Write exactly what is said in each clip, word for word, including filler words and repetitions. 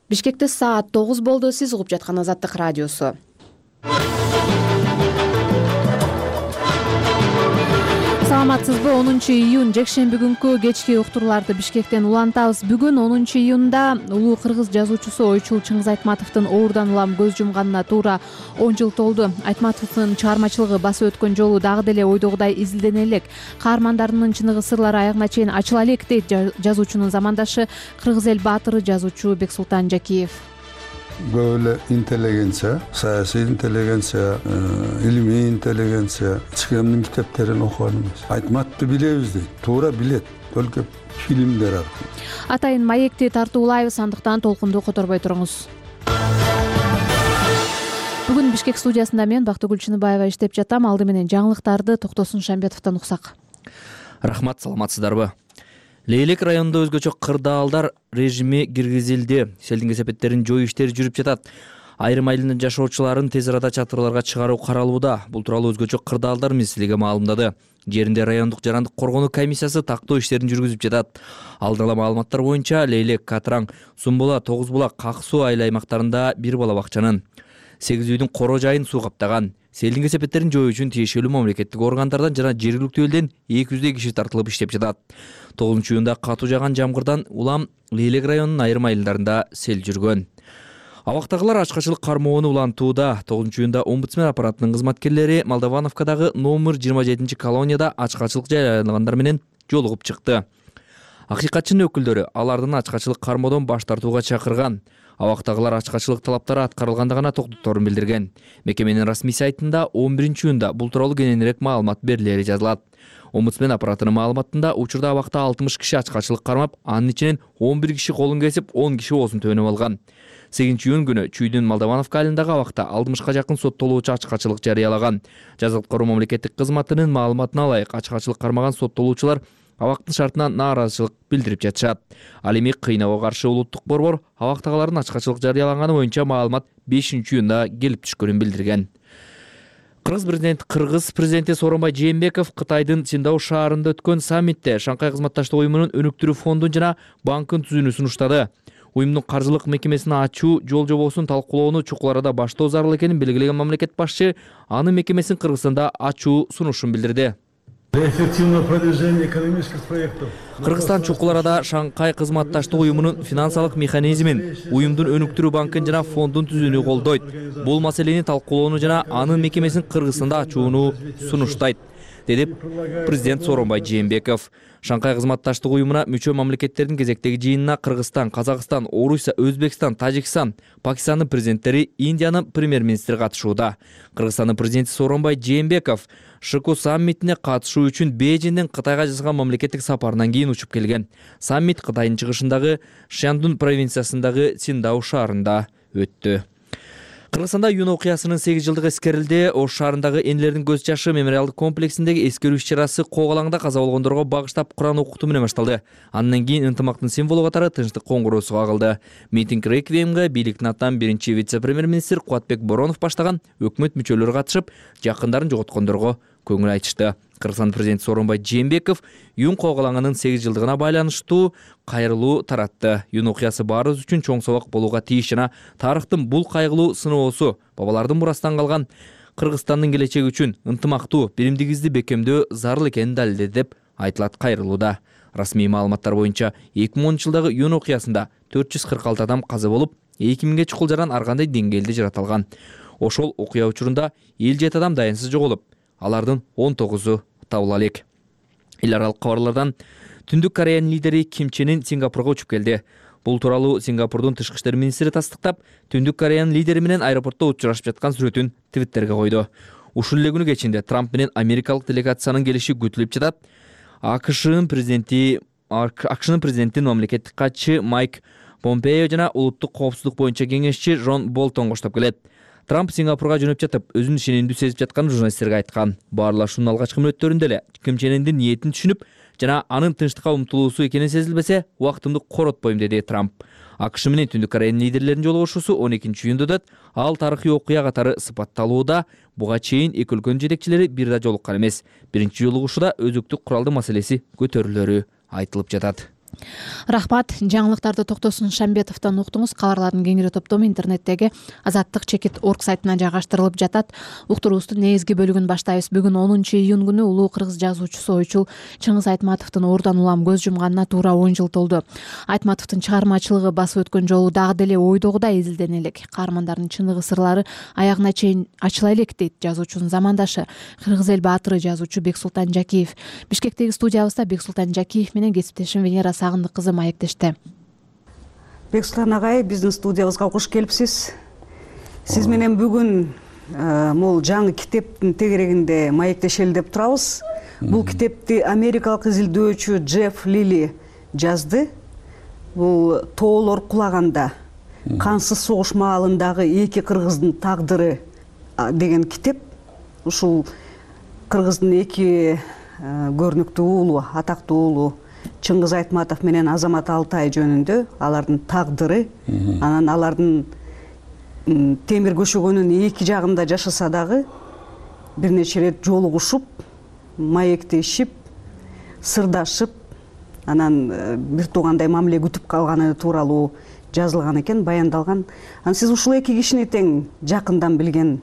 Бишкекте саат тогуз болду. Сиз угуп жаткан Азаттык радиосу. Саламатсызбы? онунчу июнь жекшемби күнкү кечки уктурууларды Бишкектен улантабыз. Бүгүн онунчу июнда улуу кыргыз жазуучусу Ойчул Чыңгыз Айтматовдун оорудан улам көз жумганына туура он жыл толду. Айтматовдун чыгармачылыгы басып өткөн жолу дагы деле ойдогудай изилдене элек. Каармандарынын чыныгы сырлары аягына чейин ачыла элек, дейт жазуучунун замандашы, кыргыз эл баатыры жазуучу Бексултан Жакиев. Көп эле интеллигенция, саясий интеллигенция, илимий интеллигенция ичкемдин китептерин окуган эмес. Айтматты билебиз дейт, туура билет, только фильмдер аркылуу. Атайын маекти тартуулайбыз, андыктан толкунду которбой туруңуз. Бүгүн Бишкек студиясында мен Бактыгүл Чыныбаева иштеп жатам. Алды менен жаңылыктарды Токтосун Шамбетовдон уксак. Рахмат, саламатсыздарбы? Лейлек районунда өзгөчө кырдаалдар режими киргизилди. Селдин кесепеттерин жою иштери жүрүп жатат. Айрым айылдын жашоочуларын тез арада чатырларга чыгаруу каралууда. Бул тууралуу өзгөчө кырдаалдар министрлиги маалымдады. Жеринде райондук жарандык коргонуу комиссиясы тактоо иштерин жүргүзүп жатат. Алдын ала маалыматтар боюнча Лейлек, Катраң, Сумбула, Тогуз булак, Ак суу айыл аймактарында бир бала бакчанын, сегиз үйдүн коро жайын суу каптаган. Селдин кесепеттерин жою үчүн тиешелүү мамлекеттик органдардан жана жергиликтүү элден эки жүздөй киши тартылып иштеп жатат. тогузунчу июнда катуу жааган жамгырдан улам Лейлек районунун айрым айылдарында сел жүргөн. Абактагылар ачкачылык кармоону улантууда. тогузунчу июнда омбудсмен аппаратынын кызматкерлери Молдовановкадагы номер жыйырма жетинчи колонияда ачкачылык жарыялагандар менен жолугуп чыкты. Акыйкатчынын өкүлдөрү алардын ачкачылык кармоодон баш тартууга чакырган. Абактагылар ачкачылык талаптары аткарылганда гана токтоторун билдирген. Мекеменин расмий сайтында он биринчи июнда бул тууралуу кененирээк маалымат берилери жазылат. Омбудсмен аппаратынын маалыматында учурда абакта алтымыш киши ачкачылык кармап, анын ичинен он бир киши колун кесип, он киши оозун төбөнүп алган. сегизинчи июнь күнү Чүйдүн Молдовановка айылындагы абакта алтымышка жакын соттолуучу ачкачылык жарыялаган. Жаза аткаруу мамлекеттик кызматынын маалыматына ылайык, ачкачылык кармаган соттолуучулар абактын шартына нааразычылык билдирип жатышат. Ал эми кыйноого каршы улуттук борбор абактагылардын ачкачылык жарыялаганы боюнча маалымат бешинчи июнда келип түшкөнүн билдирген. Кыргыз президенти Кыргыз президенти Сооронбай Жээнбеков Кытайдын Циндао шаарында өткөн саммитте Шанхай кызматташтык уюмунун өнүктүрүү фондун жана банкын түзүүнү сунуштады. Уюмдун каржылык мекемесин ачуу жол жобосун талкуулоону чукул арада баштоо зарыл экенин белгилеген мамлекет башчы анын мекемесин Кыргызстанда ачуу сунушун билдирди. Кыргызстан чукул арада Шанхай кызматташтык уюмунун финансылык механизмин, уюмдун өнүктүрүү банкын жана фондун түзүүнү колдойт. Бул маселени талкуулоону жана анын мекемесин Кыргызстанда ачууну сунуштайт, деди президент Сооронбай Жээнбеков. Шанхай кызматташтык уюмуна мүчө мамлекеттердин кезектеги жыйынына Кыргызстан, Казакстан, Орусия, Өзбекстан, Тажикстан, Пакистандын президенттери, Индиянын премьер-министри катышууда. Кыргызстандын президенти Сооронбай Жээнбеков ШКУ саммитине катышуу үчүн Бейжиңден Кытайга жасаган мамлекеттик сапарынан кийин учуп келген. Саммит Кытайдын чыгышындагы Шандун провинциясындагы Циндао шаарында өттү. Кыргызстанда июнь окуясынын сегиз жылдыгы эскерилди. Ош шаарындагы энелердин көз жашы мемориалдык комплексиндеги эскерүү иш-чарасы Коголаңда каза болгондорго багыштап Куран окутуу менен башталды. Андан кийин ынтымактын символу катары тынчтык коңгуроосу кагылды. Митинг реквиемге бийликтин атынан биринчи вице-премьер-министр Кубатбек Боронов баштаган өкмөт мүчөлөрү катышып, жакындарын жоготкондорго көңүл айтышты. Кыргызстан президенти Сооронбай Жээнбеков июнь Коголаңынын сегиз жылдыгына байланыштуу кайрылуу таратты. Июнь окуясы баарыбыз үчүн чоң сабак болууга тийиш жана тарыхтын бул кайгылуу сыноосу бабалардын мурастан калган Кыргызстандын келечеги үчүн ынтымактуу, биримдигибизди бекемдөө зарыл экенин далилдеди деп айтылат кайрылууда. Расмий маалыматтар боюнча эки миң онунчу жылдагы июнь окуясында төрт жүз кырк алты адам каза болуп, эки миңге чукул жаран ар кандай деңгээлде жаратылган. Ошол окуя учурунда элүү жети адам даянсыз жоголуп, алардын он тогузу табыла элек. Эл аралык кабарлардан Түндүк Кореянын лидери Ким Чен Ын Сингапурга учуп келди. Бул тууралуу Сингапурдун тышкы иштер министри тастыктап, Түндүк Кореянын лидери менен аэропортто учурашып жаткан сүрөтүн Твиттерге койду. Ушул эле күнү кечинде Трамп менен америкалык делегациянын келиши күтүлүп жатат. АКШнын президенти АКШнын президентин мамлекеттик катчы Майк Помпео жана улуттук коопсуздук боюнча кеңешчи Джон Болтон коштоп келет. Трамп Сингапурга жөнөп жатып, өзүнүн ишенимдүү сезип жатканын журналисттерге айткан. Баарлашуунун алгачкы мүнөттөрүндө эле Ким Чен Ындын ниетин түшүнүп, жана анын тынчтыкка умтулуусу экени сезилбесе, убактымды коротпойм, деди Трамп. АКШ менен Түндүк Кореянын лидерлеринин жолугушуусу он экинчи июнда өтөт. Ал тарыхый окуя катары сыпатталууда. Буга чейин эки өлкөнүн жетекчилери бир да жолуккан эмес. Биринчи жолугушууда өзөктүк куралдуу маселеси көтөрүлөрү айтылып жатат. Рахмат. Жаңылыктарды Токтосун Шамбетовдон уктуңуз. Кабарлардын кеңири топтому интернеттеги азаттык чекит точка орг сайтына жайгаштырылып жатат. Уктуруубуздун негизги бөлүгүн баштайбыз. Бүгүн онунчу июнь күнү улуу кыргыз жазуучусу ойчул Чыңгыз Айтматовдун оорудан улам көз жумганына туура он жыл толду. Айтматовдун чыгармачылыгы басып өткөн жолу дагы деле ойдогудай изилдене элек. Каармандардын чыныгы сырлары аягына чейин ачыла элек дейт жазуучунун замандашы, кыргыз эл баатыры жазуучу Бексултан Жакиев. Бишкектеги студиябызда Бексултан Жакиев менен кесиптешим Венера Сагындык кызы маектешти. Бексултан агай, биздин студиябызга куш келипсиз. Сиз менен бүгүн могул жаңы китептин тегерегинде маектешели деп турабыз. Бул китепти америкалык изилдөөчү Джефф Лили жазды. Бул тоолор кулаганда, кансыз согуш маалындагы эки кыргыздын тагдыры деген китеп. Ушул кыргыздын эки көрүнүктүү уулу, атактуу уулу Чыңгыз Айтматов менен Азамат Алтай жөнүндө алардын тагдыры, анан алардын темир көшөгөнүн эки жагында жашаса дагы бир нече ирет жолугушуп, маектешип, сырдашып, анан бир туугандай мамиле күтүп калганы тууралуу жазылган экен, баяндалган. Анан сиз ушул эки кишини тең жакындан билген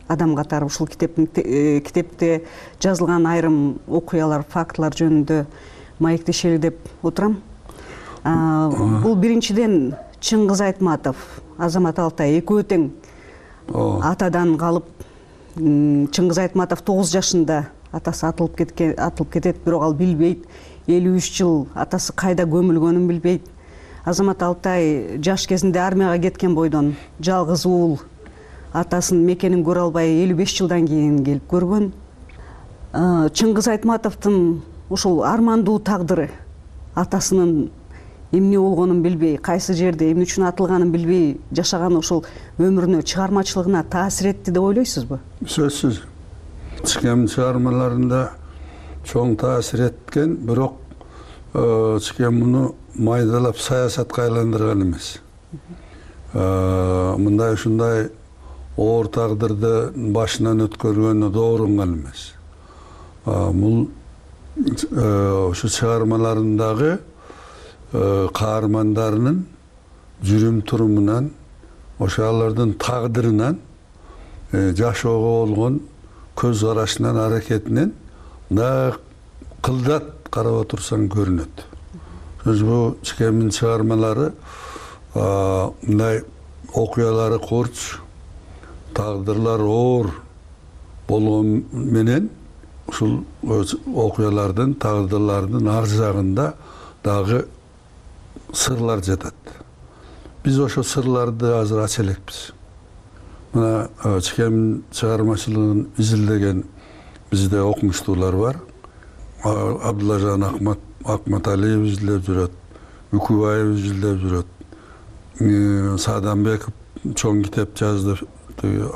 адам катары ушул китептин китепте жазылган айрым окуялар, фактылар жөнүндө маектешели деп отурам. Бул биринчиден Чыңгыз Айтматов, Азамат Алтай экөө тең атадан калып, Чыңгыз Айтматов тогуз жашында атасы атылып кеткен, атылып кетет, бирок ал билбейт. элүү үч жыл атасы кайда көмүлгөнүн билбейт. Азамат Алтай жаш кезинде армияга кеткен бойдон жалгыз уул атасынын мекенин көрө албай элүү беш жылдан кийин келип көргөн. Чыңгыз Айтматовдун ушул армандуу тагдыры, атасынын эмне болгонун билбей, кайсы жерде эмне үчүн атылганын билбей жашаган ушул өмүрүнө, чыгармачылыгына таасир этти деп ойлойсузбу? Сөзсүз. Чикем чыгармаларында чоң таасир эткен, бирок Чикем муну майдалап саясатка айландырган эмес. Мындай ушундай оор тагдырды башынан өткөргөнү доорунган эмес. Бул ушу чыгармаларындагы каармандарынын жүрүм турумунан, ошо алардын тагдырынан, жашоого болгон көз карашынан, аракетинен мындай кылдат карап отурсаң көрүнөт. Бул Чикемдин чыгармалары мындай окуялары курч, тагдырлар оор болгон менен ушул окуялардын, тагдырлардын ар жагында дагы сырлар жатат. Биз ошо сырларды азыр ача элекпиз. Мына Чикемдин чыгармачылыгын изилдеген бизде окумуштуулар бар. Абдуллажан Акматалиев изилдеп жүрөт, Үкүбаев изилдеп жүрөт. Саадамбеков чоң китеп жазды,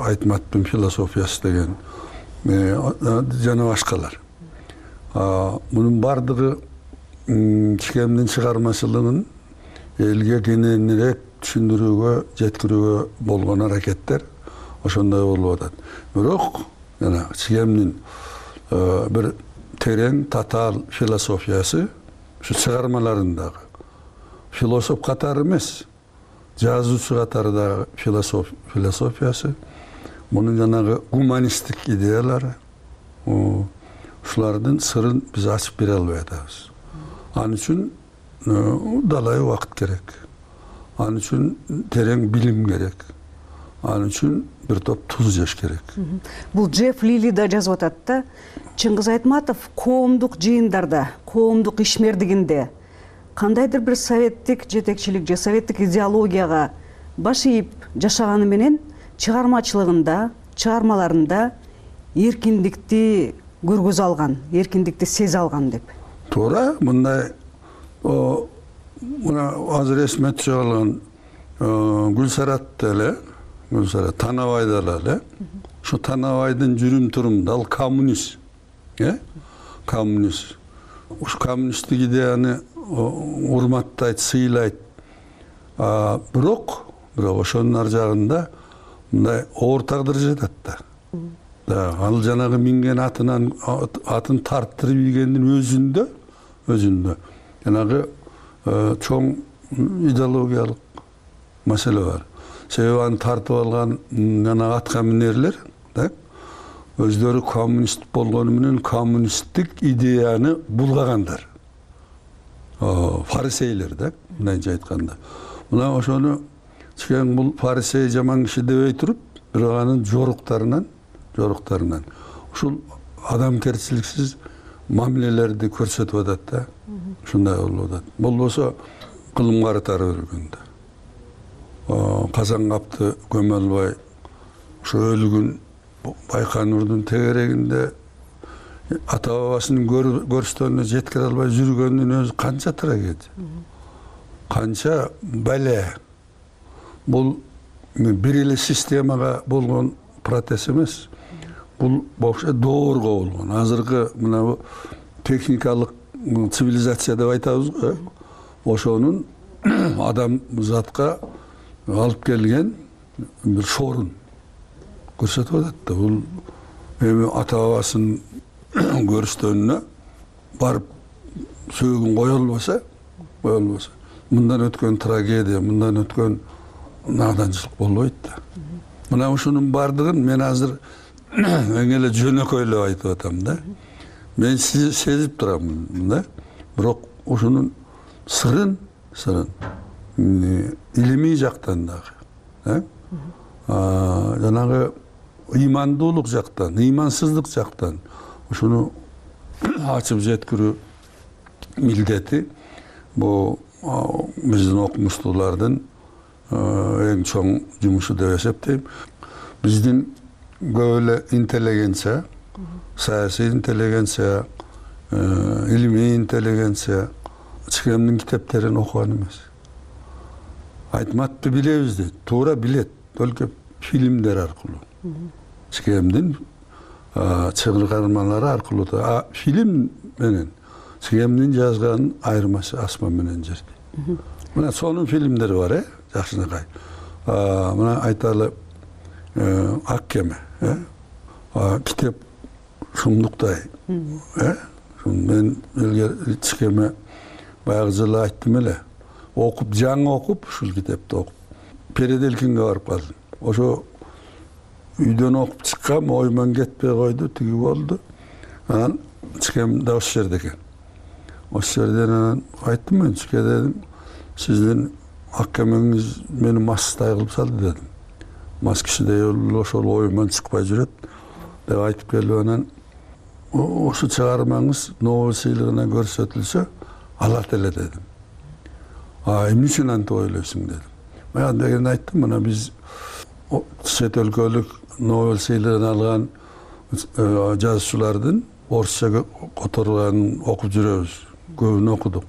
Айтматтын философиясы деген, жана башкалар. Мунун бардыгы Чикемдин чыгармачылыгын элге кененирээк түшүндүрүүгө, жеткирүүгө болгон аракеттер ошондой болуп атат. Бирок жана Чикемдин бир терең, татаал философиясы ушу чыгармаларындагы. Философ катары эмес, жазуучу катары дагы философиясы, мунун жанагы гуманисттик идеялары, ушулардын сырын биз ачып бере албай атабыз. Ал үчүн далай убакыт керек. Ал үчүн терең билим керек. Ал үчүн бир топ туз жеш керек. Бул Джефф Лили да жазып атат да, Чыңгыз Айтматов коомдук жыйындарда, коомдук ишмердигинде кандайдыр бир советтик жетекчилик же советтик идеологияга баш ийип жашаганы менен чыгармачылыгында, чыгармаларында эркиндикти көргөзө алган, эркиндикти сезе алган деп. Туура, мындай мына азыр эсиме түшө калган Гүлсарат эле, Гүлсарат Танабайда эле, ушу Танабайдын жүрүм турумунда ал коммунист, э? Коммунист. Ушу коммунисттик идеяны урматтайт, сыйлайт. Бирок, бирок ошонун ар жагында мындай оор тагдыр жатат да. Да, ал жанагы минген атынан атын тарттырып ийгендин өзүндө, өзүндө жанагы чоң идеологиялык маселе бар. Себеби аны тартып алган жана атка минерлер так өздөрү коммунист болгону менен коммунисттик идеяны булгагандар. Фарисейлер так мындайча айтканда. Мына ошону чейин бул фарисей жаман киши дебей туруп, бирок анын жоруктарынан, жоруктарынан ушул адамгерчиликсиз мамилелерди көрсөтүп атат да. Ушундай болуп атат. Болбосо кылым карытары өргөндө. Казан капты көмө албай ошо өлүгүн Байконурдун тегерегинде ата бабасынын көрүстөрүнө жеткире албай жүргөндүн өзү канча трагедия, канча бале. Бул бир эле системага болгон протест эмес. Бул вообще доорго болгон. Азыркы мына техникалык цивилизация деп айтабыз го. Ошонун адам затка алып келген бир шорун көрсөтүп атат да. Бул эми ата бабасынын көрүстөрүнө барып сөөгүн кое албаса, кое албаса, мындан өткөн трагедия, мындан өткөн наданчылык болбойт да. Мына ушунун бардыгын мен азыр эң эле жөнөкөйлөп айтып атам да. Мен сизди сезип турам да. Бирок ушунун сырын, сырын илимий жактан дагы, жанагы ыймандуулук жактан, ыймансыздык жактан ушуну ачып жеткирүү милдети бул биздин окумуштуулардын эң чоң жумушу деп эсептейм. Биздин көп эле интеллигенция, саясий интеллигенция, илимий интеллигенция Чикемдин китептерин окуган эмес. Айтматты билебиз дейт, туура билет, только фильмдер аркылуу. Чикемдин чыгармалары аркылуу. А фильм менен Чикемдин жазганын айырмасы асман менен жер. Мына сонун фильмдери бар, э, жакшынакай. Мына айталы Ак кеме, э? Китеп шумдуктай, э? Мен элге Чикеме баягы жылы айттым эле. Окуп, жаңы окуп, ушул китепти окуп, Переделкинге барып калдым. Ошо үйдөн окуп чыккам, оймон кетпей койду, тиги болду. Анан Чикем да ошол жерде экен. Ошол жерден анан айттым мен Чике дедим, сиздин ак кемеңиз мени масстай кылып салды дедим. Мас кишидей ошол оюман чыкпай жүрөт деп айтып келип анан ошо чыгармаңыз Нобель сыйлыгына көрсөтүлсө алат эле дедим. А эмне үчүн антип ойлойсуң дедим. Мен дегенде айттым, мына биз чет өлкөлүк Нобель сыйлыгын алган жазуучулардын орусча которганын окуп жүрөбүз. Көбүн окудук.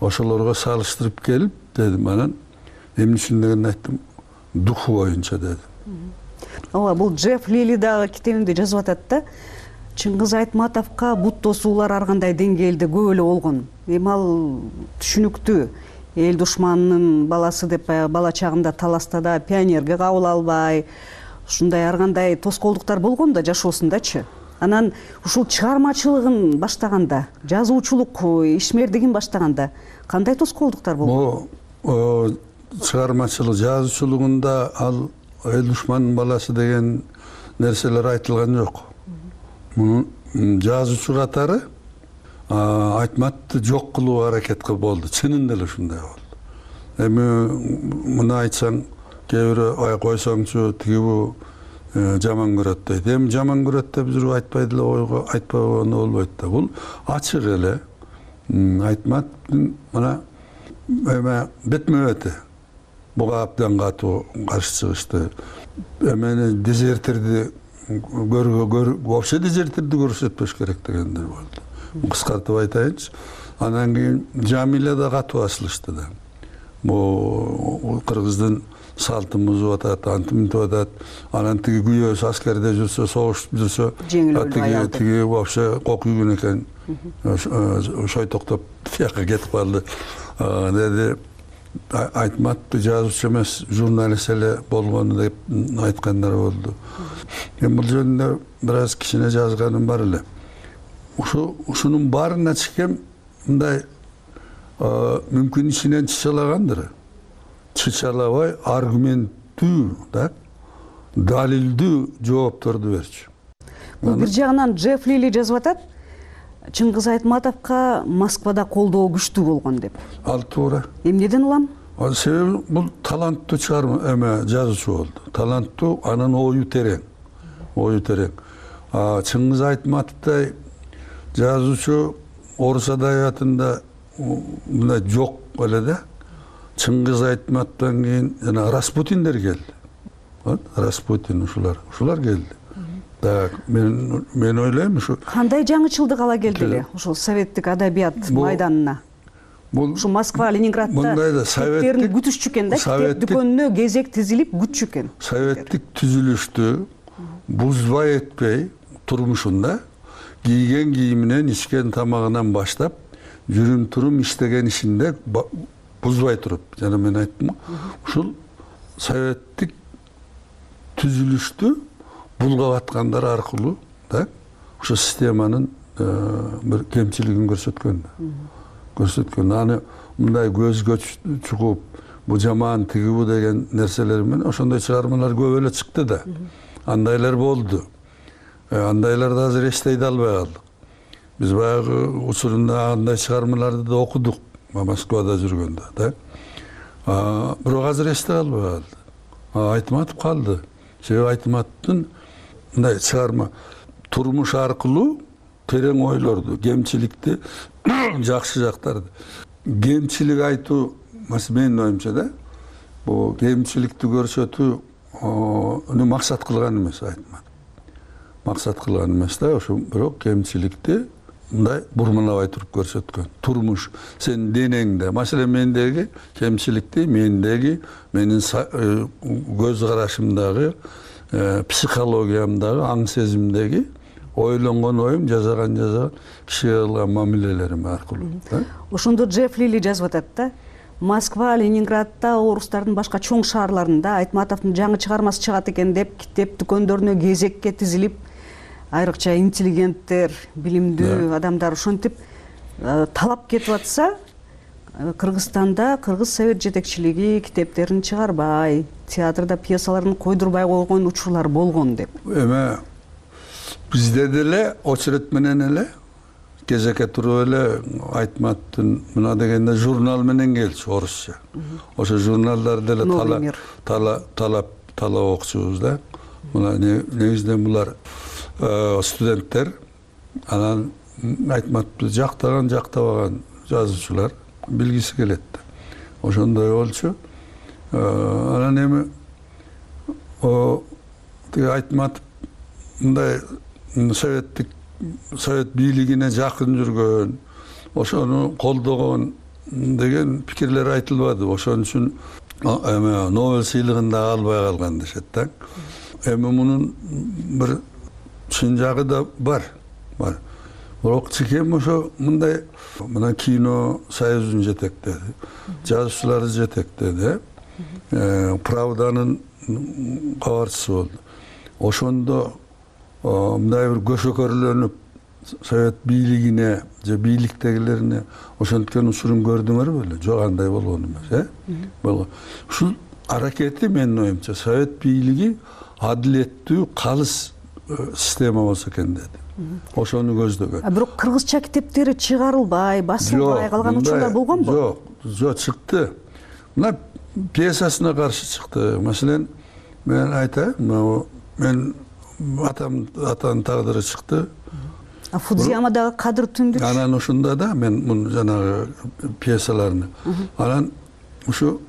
Ошолорго салыштырып келип дедим, анан эмне үчүн дегенде айттым, духу боюнча дедим. Ооба, бул Джефф Лили дагы китебинде жазып атат да. Чыңгыз Айтматовго бут тосуулар ар кандай деңгээлде көп эле болгон. Эми ал түшүнүктүү. Эл душманынын баласы деп бала чагында таласта да пионерге кабыл албай, ушундай ар кандай тоскоолдуктар болгон да жашоосундачы. Анан ушул чыгармачылыгын баштаганда, жазуучулук ишмердигин баштаганда кандай тоскоолдуктар болгон? Бул чыгармачылык, жазуучулугунда ал эл душманынын баласы деген нерселер айтылган жок. Мунун жазуучу катары Айтматты жок кылуу аракет кылып болду. Чынында эле ушундай болду. Эми муну айтсаң, кээ бирөө ай койсоңчу, тиги бу жаман көрөт дейт. Эми жаман көрөт деп жүрүп айтпай деле ойго айтпаганы болбойт да. Бул ачык эле Айтматтын мына эме бетме-бети буга абдан катуу каршы чыгышты. Эмени дезертирди көргө вообще дезертирди көрсөтпөш керек дегендер болду. Кыскартып айтайынчы. Анан кийин Жамиля да катуу асылышты да. Бу кыргыздын салтын бузуп атат, антиминтип атат. Анан тиги күйөөсү аскерде жүрсө, согуш жүрсө, тиги тиги вообще кок үйгөн экен. Шойтоктоп тияка кетип калды. Деди Айтматты жазуучу эмес, журналист эле болгону деп айткандар болду. Эми бул жөнүндө бир аз кичине жазганым бар эле. Ушу ушунун баарына Чикем мындай мүмкүн ичинен чычалагандыр. Чычалабай аргументтүү да далилдүү жоопторду берчү. Бул бир жагынан Джефф Лили жазып атат, Чыңгыз Айтматовго Москвада колдоо күчтүү болгон деп. Ал туура. Эмнеден улам? Себеби бул таланттуу чыгарма эме жазуучу болду. Таланттуу, анын ою терең. Ою терең. Чыңгыз Айтматовдой жазуучу орус адабиятында мындай жок эле да. Чыңгыз Айтматовдон кийин жана Распутиндер келди. Распутин ушулар, ушулар келди. Так, мен мен ойлойм ушу кандай жаңычылдык ала келди эле ушул советтик адабият майданына. Ушу Москва, Ленинградда китептерин күтүшчү экен да, китеп дүкөнүнө кезек тизилип күтчү экен. Советтик түзүлүштү бузбай этпей турмушунда кийген кийиминен, ичкен тамагынан баштап, жүрүм турум иштеген ишинде бузбай туруп, жана мен айттым, ушул советтик түзүлүштү булгап аткандар аркылуу да ошо системанын бир кемчилигин көрсөткөн. Көрсөткөн. Аны мындай көзгө чугуп, бу жаман тиги бу деген нерселер менен ошондой чыгармалар көп эле чыкты да. Андайлар болду. Андайларды азыр эстей да албай калдык. Биз баягы учурунда андай чыгармаларды да окудук, Москвада жүргөндө да. Бирок азыр эстей албай калды. Айтматов калды. Себеби Айтматовдун мындай чыгарма турмуш аркылуу терең ойлорду, кемчиликти, жакшы жактарды. Кемчилик айтуу, менин оюмча да, бул кемчиликти көрсөтүү уну максат кылган эмес Айтматов. Максат кылган эмес да, ошо бирок кемчиликти мындай бурмалабай туруп көрсөткөн. Турмуш сенин денеңде, маселен мендеги кемчиликти мендеги, менин көз карашымдагы, психологиямдагы, аң сезимдеги ойлонгон оюм, жазаган жазаган кишиге кылган мамилелерим аркылуу. Ошондо Джефф Лили жазып атат да, Москва, Ленинградда, орустардын башка чоң шаарларында Айтматовдун жаңы чыгармасы чыгат экен деп китеп дүкөндөрүнө кезекке тизилип, айрыкча интеллигенттер, билимдүү адамдар ошентип талап кетип атса, Кыргызстанда кыргыз совет жетекчилиги китептерин чыгарбай, театрда пьесаларын койдурбай койгон учурлар болгон деп. Эме бизде деле очеред менен эле кезекке туруп эле Айтматовдун мына дегенде журнал менен келчү орусча. Ошо журналдарды деле талап талап талап талап окучубуз да. Мына негизинен булар студенттер, анан Айтматовду жактаган, жактабаган жазуучулар билгиси келет. Ошондой болчу. Анан эми о тиги Айтматов мындай советтик совет бийлигине жакын жүргөн, ошону колдогон деген пикирлер айтылбады. Ошон үчүн эме Нобель сыйлыгын да албай калган дешет да. Эми мунун бир чын жагы да бар. Бар. Бирок чекем ошо мындай мына кино союзун жетектеди. Жазуучуларды жетектеди. Правданын кабарчысы болду. Ошондо мындай бир көшөкөрлөнүп совет бийлигине же бийликтегилерине ошенткен учурун көрдүңөрбү беле? Жок, андай болгон эмес, э? Болгон. Ушул аракети менин оюмча совет бийлиги адилеттүү, калыс система болсо экен деди. Ошону көздөгөн. А бирок кыргызча китептери чыгарылбай, басылбай калган учурлар болгонбу? Жок, жок, чыкты. Мына пьесасына каршы чыкты. Маселен, мен айтайын, мен атам атанын тагдыры чыкты. А Фудзиямадагы кадыр түндүк. Анан ушунда да мен мун жанагы пьесаларны. Анан ушу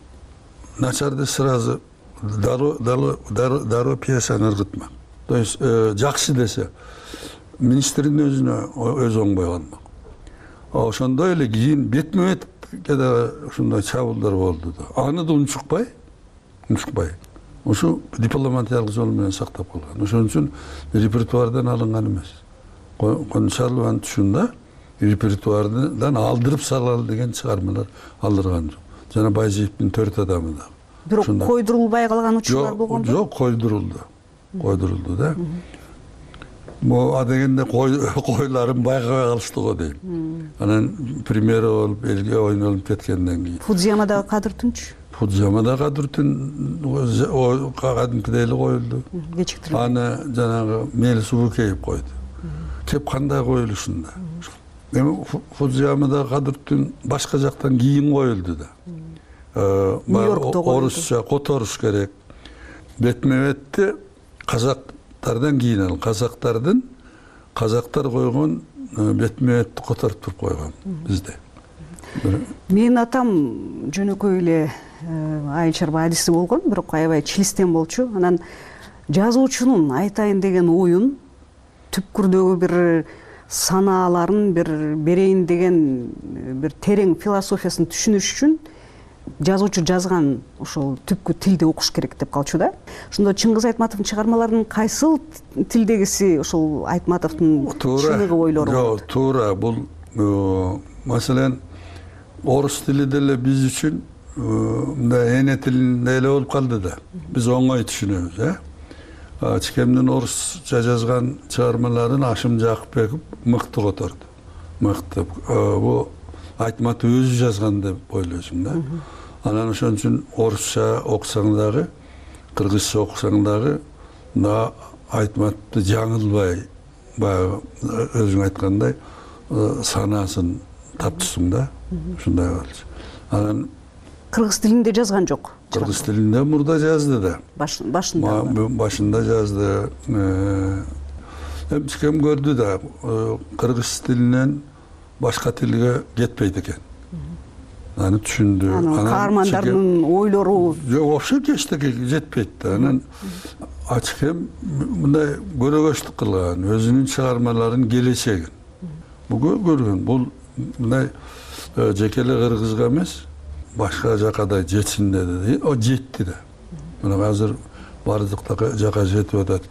начарды сразу дароо дароо дароо пьесаны ыргытмак. То есть жакшы десе министрдин өзүнө өзү оңбой калмак. Ошондой эле кийин бетме бет да ушундай чабуулдар болду да. Аны да унчукпай, унчукпай. Ушу дипломатиялык жол менен сактап калган. Ошон үчүн репертуардан алынган эмес. Кончаловдун түшүндө репертуардан алдырып салалы деген чыгармалар алдырган жок. Жана Байжиевдин төрт адамы да. Бирок койдурулбай калган учурлар болгонбу? Жок, койдурулду. Койдурулду да. могу адегенде койларын байкабай калышты го дейм. Анан премьера болуп элге ойнолуп кеткенден кийин Фудзиямадагы Кадыр Түнч Фудзиямадагы Кадыр Түн кадимкидей эле коюлду. Кечиктирилди. Аны жанагы Мели Субукеев койду. Кеп кандай коюлушунда. Эми Фудзиямадагы Кадыр Түн башка жактан кийин коюлду да. Нью-Йоркто коюлду. Орусча которуш керек. Бетме-бетти казактардан кийин ал казактардын казактар койгон бетме-бетти которуп туруп койгон бизде. Менин атам жөнөкөй эле айыл-чарба адиси болгон, бирок аябай чилистен болчу. Анан жазуучунун айтайын деген оюн түпкүрдөгү бир санааларын бир берейин деген бир терең философиясын түшүнүш үчүн жазуучу жазган ошол түпкү тилди окуш керек деп калчу да. Ошондо Чыңгыз Айтматовдун чыгармаларынын кайсыл тилдегиси ошол Айтматовдун чыныгы ойлору? Жок, туура. Бул маселен орус тили деле биз үчүн мындай эне тилинде эле болуп калды да. Биз оңой түшүнөбүз, э? Чикемдин орусча жазган чыгармаларын Ашым Жакыпбеков мыкты которду. Мыкты. Бул Айтматов өзү жазган деп ойлойсуң да. Анан ошон үчүн орусча окусаң дагы, кыргызча окусаң дагы мына Айтматовду жаңылбай, баягы өзүң айткандай санасын таптысың да. Ушундай болчу. Анан кыргыз тилинде жазган жок. Кыргыз тилинде мурда жазды да. Башында. Башында жазды. Эми чикем көрдү да, кыргыз тилинен башка тилге кетпейт экен. Аны түшүндү. Анан каармандарынын ойлору жок, вообще кечтеге жетпейт да. Анан ачкем мындай көрөгөчтүк кылган, өзүнүн чыгармаларын келечегин. Буга көргөн, бул мындай жеке эле кыргызга эмес, башка жака да жетсин деди. О жетти да. Мына азыр бардык жака жетип атат.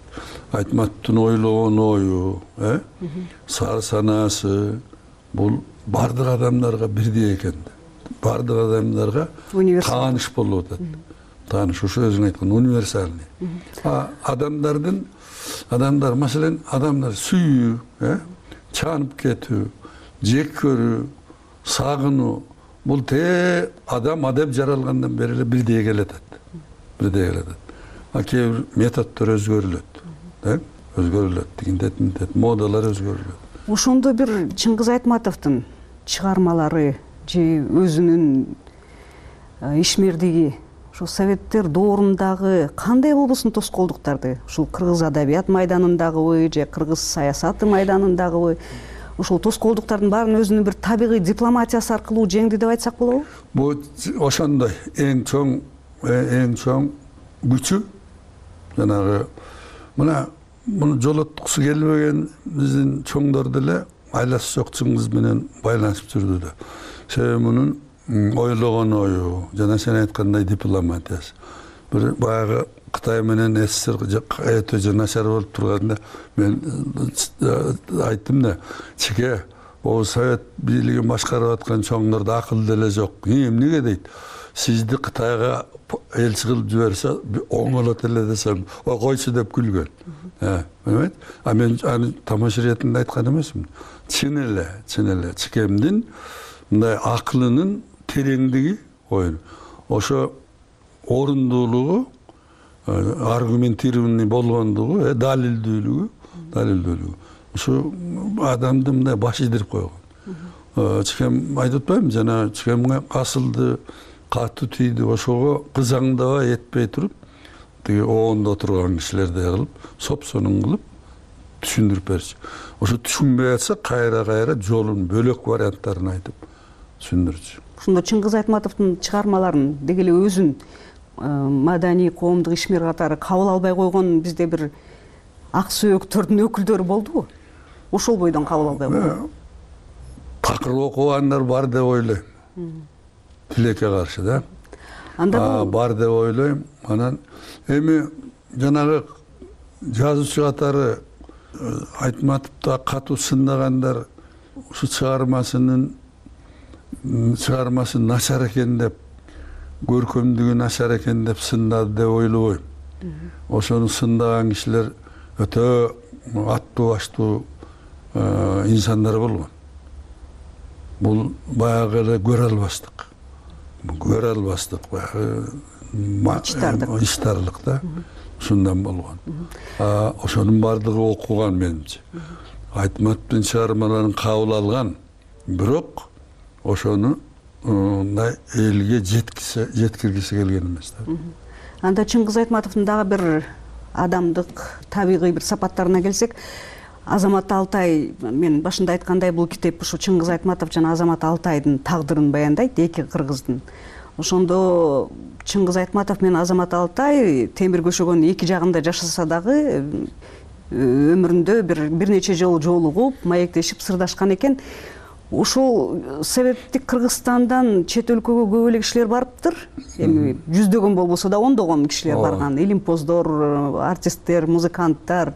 Айтматовдун ойлогон ою, э? Сар санаасы бул бардык адамдарга бирдей экен. Бардык адамдарга тааныш болуп атат. Тааныш ушу өзүң айткан универсальный. А адамдардын адамдар, маселен, адамдар сүйүү, э? Чанып кетүү, жек көрүү, сагынуу, бул те адам адеп жаралгандан бери эле бирдей келет. Бирдей келет. А кээ бир методдор өзгөрүлөт, э? Өзгөрүлөт, тигинтет, мынтет, модалар өзгөрүлөт. Ошондо бир Чыңгыз Айтматовдун чыгармалары же өзүнүн ишмердиги ошо советтер доорундагы кандай болбосун тоскоолдуктарды, ушул кыргыз адабият майданындагыбы же кыргыз саясаты майданындагыбы ошол тоскоолдуктардын баарын өзүнүн бир табигый дипломатиясы аркылуу жеңди деп айтсак болобу? Бул ошондой эң чоң эң чоң күчү жанагы мына муну жолоткусу келбеген биздин чоңдор деле айласы жок Чыңгыз менен байланышып жүрдү да. Себеби мунун ойлогон ою жана сен айткандай дипломатиясы. Бир баягы Кытай менен СССР өтө начар болуп турганда мен айттым да, чике, о совет бийлигин башкарып аткан чоңдордо акыл деле жок. Эмнеге дейт? Сизди Кытайга элчи кылып жиберсе оңолот эле десем, о койчу деп күлгөн. Э, а мен аны тамаша иретинде айткан эмесмин. Чын эле, чын эле чикемдин мындай акылынын тереңдиги ойын. Ошо орундуулугу, аргументированный болгондугу, э, далилдүүлүгү, далилдүүлүгү. Ошо адамды мындай баш идирип койгон. Чикем айтып атпаймынбы, жана чикемге касылды, катуу тийди, ошого кызаңдабай этпей туруп, тиги оонда отурган кишилердей кылып, соп-сонун кылып түшүндүрүп берчү. Ошо түшүнбөй атса, кайра-кайра жолун, бөлөк варианттарын айтып түшүндүрчү. Ошондо Чыңгыз Айтматовдун чыгармаларын деги эле өзүн маданий коомдук ишмер катары кабыл албай койгон бизде бир ак сөөктөрдүн өкүлдөрү болдубу? Ошол бойдон кабыл албай койгон. Такыр окугандар бар деп ойлойм. Тилекке каршы да. Анда бар деп ойлойм. Анан эми жанагы жазуучу катары Айтматовду катуу сындагандар ушу чыгармасынын чыгармасы начар экен деп, көркөмдүгү начар экен деп сындады деп ойлобойм. Ошону сындаган кишилер өтө аттуу баштуу инсандар болгон. Бул баягы эле көрө албастык. Көрө албастык баягы ичтарлык да. Ушундан болгон. Ошонун бардыгы окуган менимче. Айтматовдун чыгармаларын кабыл алган, бирок ошону мындай элге жеткисе, жеткиргиси келген эмес да. Анда Чыңгыз Айтматовдун дагы бир адамдык, табигый бир сапаттарына келсек, Азамат Алтай, мен башында айткандай, бул китеп ушу Чыңгыз Айтматов жана Азамат Алтайдын тагдырын баяндайт, эки кыргыздын. Ошондо Чыңгыз Айтматов менен Азамат Алтай темир көшөгөнүн эки жагында жашаса дагы өмүрүндө бир бир нече жолу жолугуп, маектешип, сырдашкан экен. Ушул себептик Кыргызстандан чет өлкөгө көп эле кишилер барыптыр. Эми жүздөгөн болбосо да ондогон кишилер барган. Илимпоздор, артисттер, музыканттар.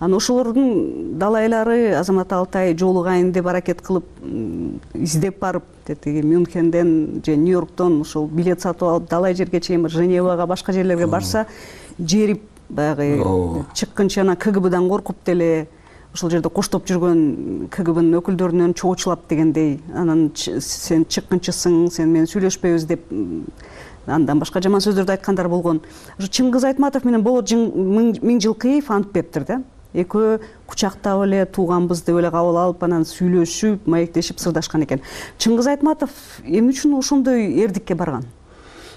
Анан ошолордун далайлары Азамат Алтай жолугайын деп аракет кылып, издеп барып, тетиги Мюнхенден же Нью-Йорктон ошол билет сатып алып, далай жерге чейин Женевага, башка жерлерге барса, жерип баягы чыккынча анан КГБдан коркуп деле ошол жерде коштоп жүргөн КГБнын өкүлдөрүнөн чоочулап дегендей, анан сен чыккынчысың, сен менен сүйлөшпөйбүз деп андан башка жаман сөздөрдү айткандар болгон. Ошо Чыңгыз Айтматов менен Болот Миңжилкыев антпептир да. Экөө кучактап эле тууганбыз деп эле кабыл алып, анан сүйлөшүп, маектешип, сырдашкан экен. Чыңгыз Айтматов эмне үчүн ошондой эрдикке барган?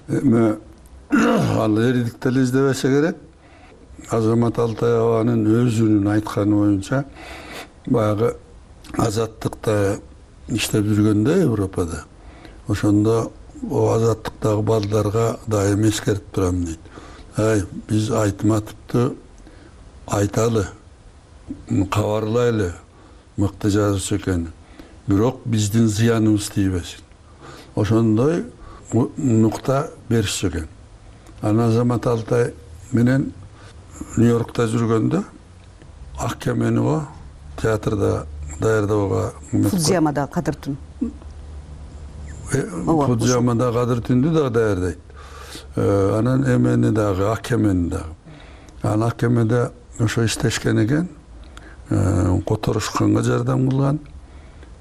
Эми ал эрдик деле издебесе керек. Азамат Алтай абанын өзүнүн айтканы боюнча баягы азаттыкта иштеп жүргөндө Европада, ошондо азаттыктагы балдарга дайым эскертип турам дейт. Ай, биз Айтматовду айталы, кабарлайлы, мыкты жазуучу экен. Бирок биздин зыяныбыз тийбесин. Ошондой нукта беришчү экен. Анан Азамат Алтай менен Нью-Йоркта жүргөндө Ак кемени го театрда даярдоого Фудзиямада Кадыр түн. Фудзиямада Кадыр түндү да даярдайт. Анан эмени дагы, Ак кемени дагы. Анан Ак кемеде ошо иштешкен экен, которушканга жардам кылган.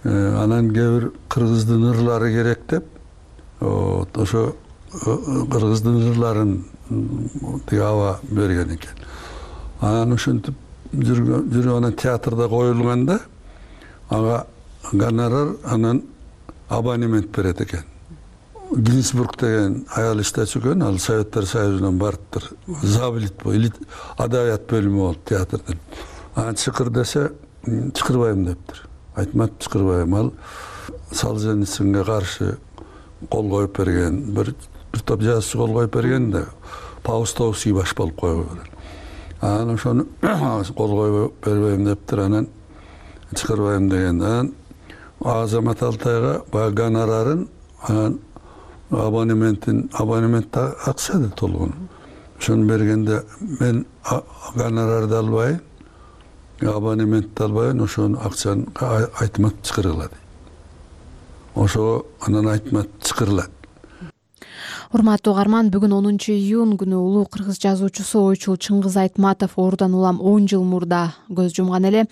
Анан кээ бир кыргыздын ырлары керек деп, ошо кыргыздын ырларын тиги аба берген экен. Анан ушинтип жүрүп анан театрда коюлганда ага гонорар анан абонемент берет экен. Гинзбург деген аял иштечү экен, ал Советтер Союзунан барыптыр. Забилит бо, или адабият бөлүмү болуп театрдын. Анан чыкыр десе, чыкырбайм дептир. Айтмат чыкырбайм, ал Солженицинге каршы кол коюп берген, бир бир топ жазуучу кол коюп берген да, Паустовский баш болуп койгон. Анан ошону кол коюп бербейм дептир, анан чыкырбайм деген. Анан Азамат Алтайга баягы гонорарын, анан абонементин, абонемент акча да толгон. Ошону бергенде мен гонорарды албайын, абонементти албайын, ошону акчаны Айтмат чыкыргыла дейт. Ошо анан Айтмат чыкырылат. Урматтуу угарман, бүгүн онунчу июнь күнү улуу кыргыз жазуучусу, ойчул Чыңгыз Айтматов оорудан улам он жыл мурда көз жумган эле.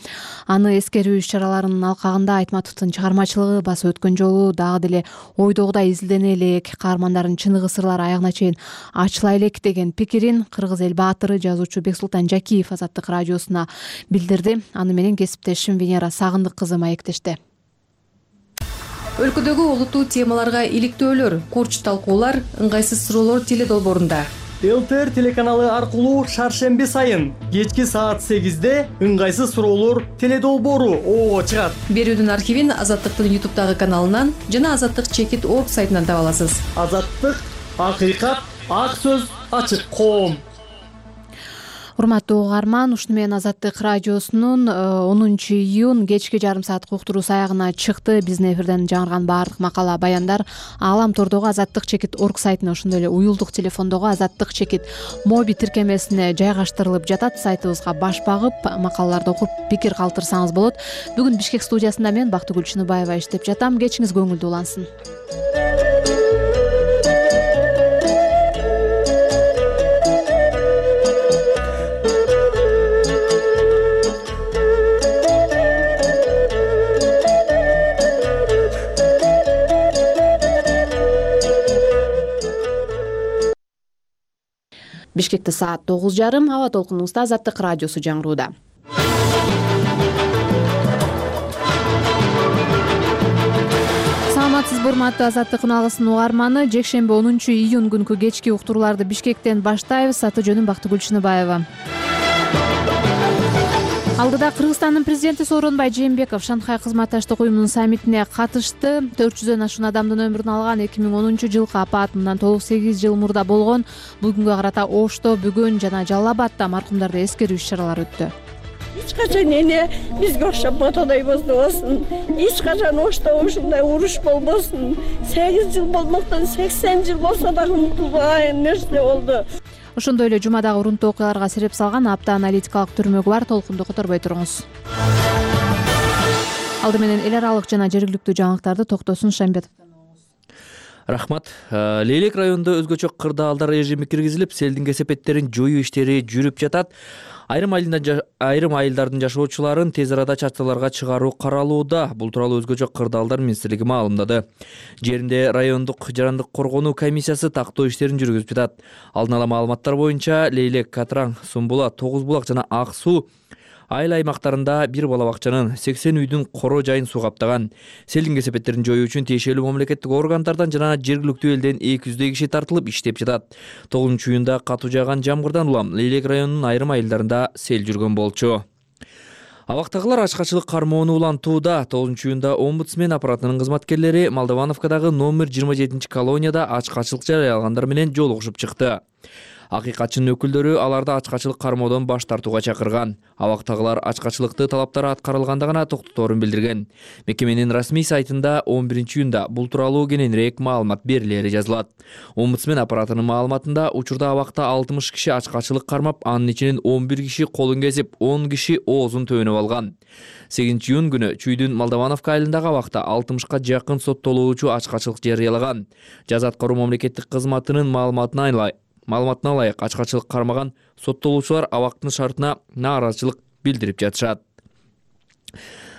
Аны эскерүү иш-чараларынын алкагында Айтматовдун чыгармачылыгы баса өткөн жолу дагы деле ойдогудай изилдене элек, каармандардын чыныгы сырлары аягына чейин ачыла элек деген пикирин кыргыз эл баатыры жазуучу Бексултан Жакиев Азаттык радиосуна билдирди. Аны менен кесиптешим Венера Сагындык кызы маектешти. Өлкөдөгү олуттуу темаларга иликтөөлөр, курч талкуулар, ыңгайсыз суроолор теледолбоорунда. ЛТР телеканалы аркылуу шаршемби сайын кечки саат сегизде ыңгайсыз суроолор теледолбоору оо чыгат. Берүүнүн архивин Азаттыктын ютубтагы каналынан жана азаттык чекит точка орг сайтынан таба аласыз. Азаттык, акыйкат, ак сөз, ачык коом. Урматтуу угарман, ушуну менен Азаттык радиосунун онунчу июнь кечки жарым сааттык уктуруусу аягына чыкты. Биздин эфирден жаңырган баардык макала, баяндар Аалам тордогу азаттык чекит точка орг сайтына, ошондой эле уюлдук телефондогу азаттык чекит моби тиркемесине жайгаштырылып жатат. Сайтыбызга баш багып, макалаларды окуп, пикир калтырсаңыз болот. Бүгүн Бишкек студиясында мен Бактыгүл Чыныбаева иштеп жатам. Кечиңиз көңүлдүү улансын. Бишкекте саат тогуз жарым. Аба толкунубузда Азаттык радиосу жаңырууда. Саламатсызбы урматтуу Азаттыктын алгысын угарманы. Жекшемби онунчу июнь күнкү кечки уктурууларды Бишкектен баштайбыз. Аты жөнүм Бактыгүл Чыныбаева. Алдыда Кыргызстандын президенти Сооронбай Жээнбеков Шанхай кызматташтык уюмунун саммитине катышты. төрт жүздөн ашуун адамдын өмүрүн алган эки миң онунчу жылкы апат мындан тогуз сегиз жыл мурда болгон. Бул күнгө карата Ошто, Бүгүн жана Жалал Абадта маркумдарды эскерүү иш-чаралары өттү. Эч качан эне бизге окшоп мотодой боздобосун. Эч качан Ошто ушундай уруш болбосун. сегиз жыл болмоктон сексен жыл болсо дагы унутулбаган нерсе болду. Ошондой эле жумадагы урунтуу окуяларга себеп салган апта аналитикалык түрмөгү бар. Толкунду которбой туруңуз. Алды менен эл аралык жана жергиликтүү жаңылыктарды Токтосун Шамбетовдон угуңуз. Рахмат. Лейлек районунда өзгөчө кырдаалдар режими киргизилип, селдин кесепеттерин жоюу иштери жүрүп жатат. Айрым айрым айылдардын жашоочуларын тез арада чатыраларга чыгаруу каралууда. Бул тууралуу өзгөчө кырдаалдар министрлиги маалымдады. Жеринде райондук жарандык коргонуу комиссиясы тактоо иштерин жүргүзүп жатат. Алдын ала маалыматтар боюнча Лейлек, Катраң, Сумбулак, Тогуз булак жана Ак суу айыл аймактарында бир бала бакчанын сексен үйдүн коро жайын суу каптаган. Селдин кесепеттерин жоюу үчүн тиешелүү мамлекеттик органдардан жана жергиликтүү элден эки жүздөй киши тартылып иштеп жатат. тогузунчу июнда катуу жааган жамгырдан улам Лейлек районунун айрым айылдарында сел жүргөн болчу. Абактагылар ачкачылык кармоону улантууда. тогузунчу июнда омбудсмен аппаратынын кызматкерлери Молдовановкадагы номер жыйырма жетинчи колонияда ачкачылык жарыялагандар менен жолугушуп чыкты. Акыйкатчынын өкүлдөрү аларды ачкачылык кармоодон баш тартууга чакырган. Абактагылар ачкачылыкты талаптары аткарылганда гана токтоторун билдирген. Мекеменин расмий сайтында он биринчи июнда бул тууралуу кененирээк маалымат берилери жазылат. Омбудсмен аппаратынын маалыматында учурда абакта алтымыш киши ачкачылык кармап, анын ичинен он бир киши колун кесип, он киши оозун төөнөп алган. сегизинчи июнь күнү Чүйдүн Молдовановка айылындагы абакта алтымышка жакын соттолуучу ачкачылык жарыялаган. Жаза аткаруу мамлекеттик кызматынын маалыматына айлай Маалыматына ылайык ачкачылык кармаган соттолуучулар абактын шартына нааразычылык билдирип жатышат.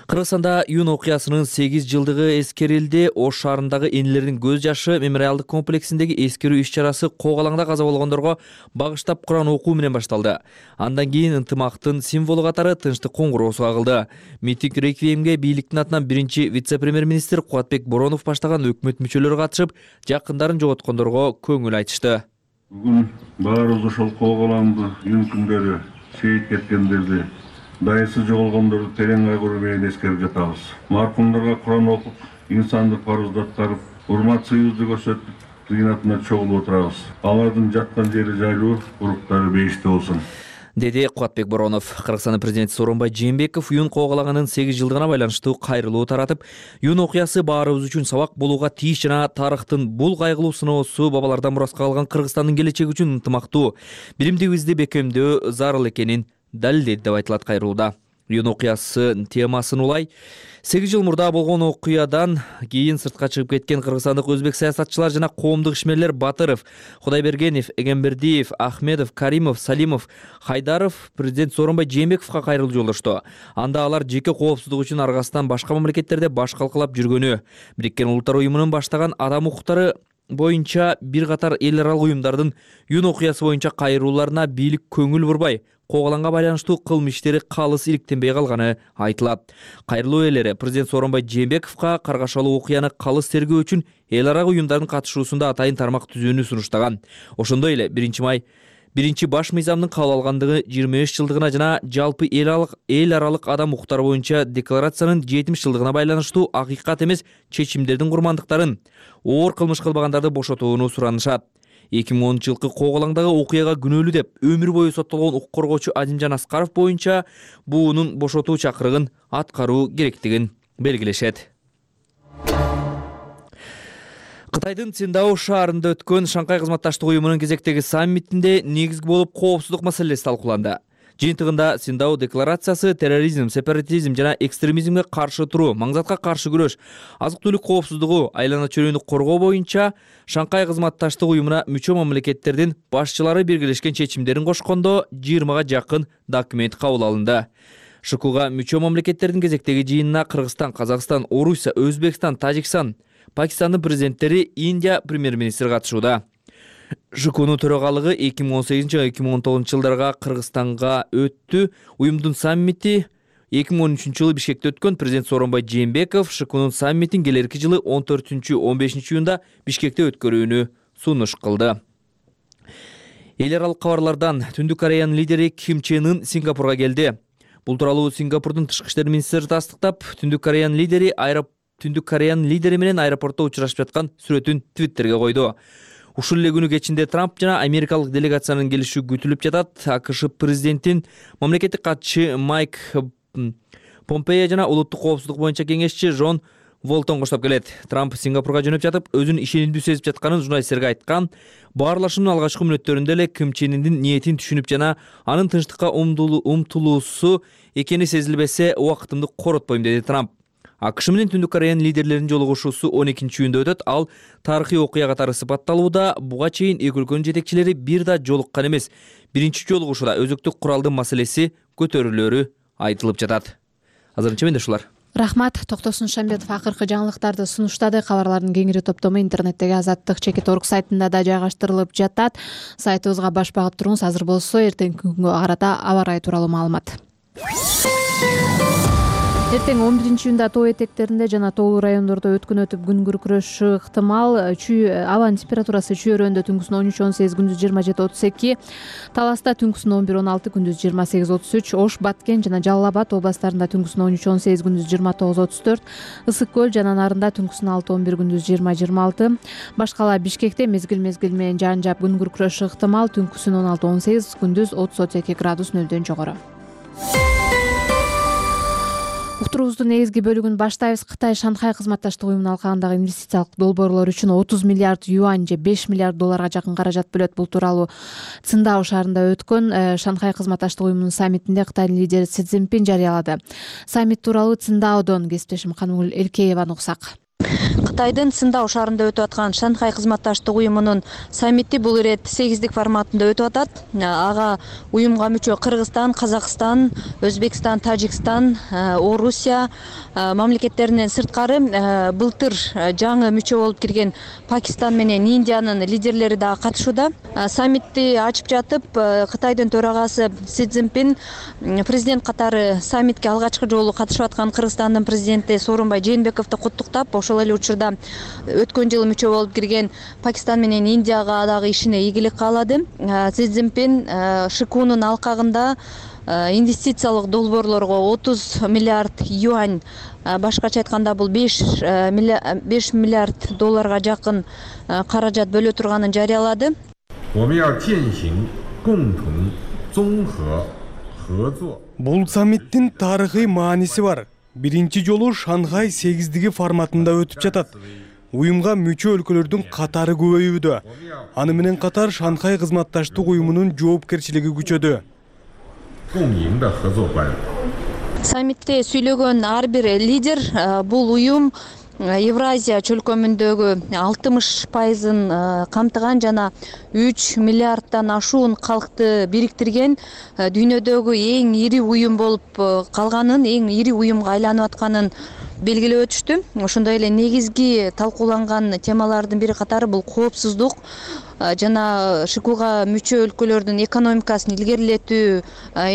Кыргызстанда июнь окуясынын сегиз жылдыгы эскерилди. Ош шаарындагы энелердин көз жашы мемориалдык комплексиндеги эскерүү иш-чарасы Коогалаңда каза болгондорго багыштап Куран окуу менен башталды. Андан кийин ынтымактын символу катары тынчтык коңгуроосу кагылды. Митинг реквиемге бийликтин атынан биринчи вице-премьер-министр Кубатбек Боронов баштаган өкмөт мүчөлөрү катышып, жакындарын жоготкондорго көңүл айтышты. Бүгүн баарыбыз ошол Коогалаңды июнь күндөрү шейит кеткендерди, дайысы жоголгондорду терең кайгыруу менен эскерип жатабыз. Маркумдарга Куран окуп, инсандык парызды аткарып, урмат сыйыбызды көрсөтүп, тыйнатына чогулуп отурабыз. Алардын жаткан жери жайлуу, уруктары бейиште болсун, деди Кубатбек Боронов. Кыргызстандын президенти Сооронбай Жээнбеков июнь Коогалаганын сегиз жылдыгына байланыштуу кайрылуу таратып, июнь окуясы баарыбыз үчүн сабак болууга тийиш жана тарыхтын бул кайгылуу сыноосу бабалардан мураска калган Кыргызстандын келечеги үчүн ынтымактуу, билимдигибизди бекемдөө зарыл экенин далилдеди деп айтылат кайрылууда. Июнь окуясы темасын улай: сегиз жыл мурда болгон окуядан кийин сыртка чыгып кеткен кыргызстандык өзбек саясатчылар жана коомдук ишмерлер Батыров, Кудайбергенов, Эгембердиев, Ахмедов, Каримов, Салимов, Хайдаров президент Сооронбай Жээнбековго кайрылуу жолдошту. Анда алар жеке коопсуздук үчүн аргасынан башка мамлекеттерде баш калкалап жүргөнү, Бириккен Улуттар уюмунун баштаган адам укуктары боюнча бир катар эл аралык уюмдардын июнь окуясы боюнча кайрылууларына бийлик көңүл бурбай, Коогалаңга байланыштуу кылмыш иштери калыс иликтенбей калганы айтылат. Кайрылуу ээлери президент Сооронбай Жээнбековго каргашалуу окуяны калыс тергөө үчүн эл аралык уюмдардын катышуусунда атайын тармак түзүүнү сунуштаган. Ошондой эле биринчи май биринчи баш мыйзамдын кабыл алгандыгы жыйырма беш жылдыгына жана жалпы эл аралык эл аралык адам укуктары боюнча декларациянын жетимиш жылдыгына байланыштуу акыйкат эмес чечимдердин курмандыктарын, оор кылмыш кылбагандарды бошотууну суранышат. эки миң онунчу жылкы Коогалаңдагы окуяга күнөөлүү деп өмүр бою соттолгон укук коргоочу Азимжан Аскаров боюнча буунун бошотуу чакырыгын аткаруу керектигин белгилешет. Кытайдын Циндао шаарында өткөн Шанхай кызматташтык уюмунун кезектеги саммитинде негизги болуп коопсуздук маселеси талкууланды. Жыйынтыгында Циндао декларациясы терроризм, сепаратизм жана экстремизмге каршы туруу, маңзатка каршы күрөш, азык-түлүк коопсуздугу, айлана чөйрөнү коргоо боюнча Шанхай кызматташтык уюмуна мүчө мамлекеттердин башчылары биргелешкен чечимдерин кошкондо жыйырмага жакын документ кабыл алынды. ШКУга мүчө мамлекеттердин кезектеги жыйынына Кыргызстан, Казакстан, Орусия, Өзбекстан, Тажикстан, Пакистандын президенттери, Индия премьер-министри катышууда. ШКУнун төрагалыгы эки миң он сегизинчи эки миң он тогузунчу жылдарга Кыргызстанга өттү. Уюмдун саммити эки миң он үчүнчү жылы Бишкекте өткөн. Президент Сооронбай Жээнбеков ШКУнун саммитин келерки жылы он төртүнчү он бешинчи июнда Бишкекте өткөрүүнү сунуш кылды. Эл аралык кабарлардан Түндүк Кореянын лидери Ким Чен Ын Сингапурга келди. Бул тууралуу Сингапурдун тышкы иштер министри тастыктап, Түндүк Кореянын лидери аэропорт Түндүк Кореянын лидери менен аэропортто учурашып жаткан сүрөтүн Твиттерге койду. Ушул эле күнү кечинде Трамп жана америкалык делегациянын келиши күтүлүп жатат. АКШ президентин мамлекеттик катчысы Майк Помпео жана улуттук коопсуздук боюнча кеңешчи Джон Волтон коштоп келет. Трамп Сингапурга жөнөп жатып, өзүн ишенимдүү сезип жатканын журналисттерге айткан. Баарлашуунун алгачкы мүнөттөрүндө эле Ким Чен Ындын ниетин түшүнүп жана анын тынчтыкка умтулуусу экени сезилбесе, убактымды коротпойм, деди Трамп. АКШ менен Түндүк Кореянын лидерлеринин жолугушуусу он экинчи июнда өтөт. Ал тарыхый окуя катары сыпатталууда. Буга чейин эки өлкөнүн жетекчилери бир да жолуккан эмес. Биринчи жолугушууда өзөктүк куралдын маселеси көтөрүлөрү айтылып жатат. Азырынча менде ушулар. Рахмат. Токтосун Шамбетов акыркы жаңылыктарды сунуштады. Кабарлардын кеңири топтому интернеттеги азаттык чекит точка орг сайтында да жайгаштырылып жатат. Сайтыбызга баш багып туруңуз. Азыр болсо эртеңки күнгө карата аба ырайы тууралуу маалымат. Эртең он биринчи июнда тоо этектеринде жана тоолуу райондордо өткөн өтүп күн күркүрөшү ыктымал. Абанын температурасы чүйөрөндө түнкүсүн он үч он сегиз, күндүз жыйырма жети отуз эки, Таласта түнкүсүн он бир он алты, күндүз жыйырма сегиз отуз үч, Ош, Баткен жана Жалал Абад областарында түнкүсүн он үч он сегиз, күндүз жыйырма тогуз отуз төрт, Ысык көл жана Нарында түнкүсүн алты он бир, күндүз жыйырма жыйырма алты, Башкала Бишкекте мезгил-мезгил менен жаан жаап күн күркүрөшү ыктымал, түнкүсүн он алты он сегиз, күндүз отуз отуз эки градус нөлдөн жогору. Уктуруубуздун негизги бөлүгүн баштайбыз. Кытай Шанхай кызматташтык уюмунун алкагындагы инвестициялык долбоорлор үчүн отуз миллиард юань же беш миллиард долларга жакын каражат бөлөт. Бул тууралуу Циндао шаарында өткөн Шанхай кызматташтык уюмунун саммитинде Кытайдын лидери Си Цзиньпин жарыялады. Саммит тууралуу Циндаодон кесиптешим Канымгүл Элкееваны уксак. Кытайдын Циндао шаарында өтүп аткан Шанхай кызматташтык уюмунун саммити бул ирет сегиздик форматында өтүп атат. Ага уюмга мүчө Кыргызстан, Казакстан, Өзбекстан, Тажикстан, Орусия мамлекеттеринен сырткары былтыр жаңы мүчө болуп кирген Пакистан менен Индиянын лидерлери да катышууда. Саммитти ачып жатып, Кытайдын төрагасы Си Цзиньпин президент катары саммитке алгачкы жолу катышып аткан Кыргызстандын президенти Сооронбай Жээнбековду куттуктап, ошол эле учурда өткөн жылы мүчө болуп кирген Пакистан менен Индияга дагы ишине ийгилик каалады. Си Цзиньпин ШКУнун алкагында инвестициялык долбоорлорго отуз миллиард юань, башкача айтканда бул беш миллиард долларга жакын каражат бөлө турганын жарыялады. Бул саммиттин тарыхый мааниси бар. Биринчи жолу Шанхай сегиздиги форматында өтүп жатат. Уюмга мүчө өлкөлөрдүн катары көбөйүүдө. Аны менен катар Шанхай кызматташтык уюмунун жоопкерчилиги күчөдү. Саммитте сүйлөгөн ар бир лидер бул уюм Евразия чөлкөмүндөгү алтымыш пайызын камтыган жана үч миллиарддан ашуун калкты бириктирген дүйнөдөгү эң ири уюм болуп калганын, эң ири уюмга айланып атканын белгилеп өтүштү. Ошондой эле негизги талкууланган темалардын бири катары бул коопсуздук жана ШКУга мүчө өлкөлөрдүн экономикасын илгерилетүү,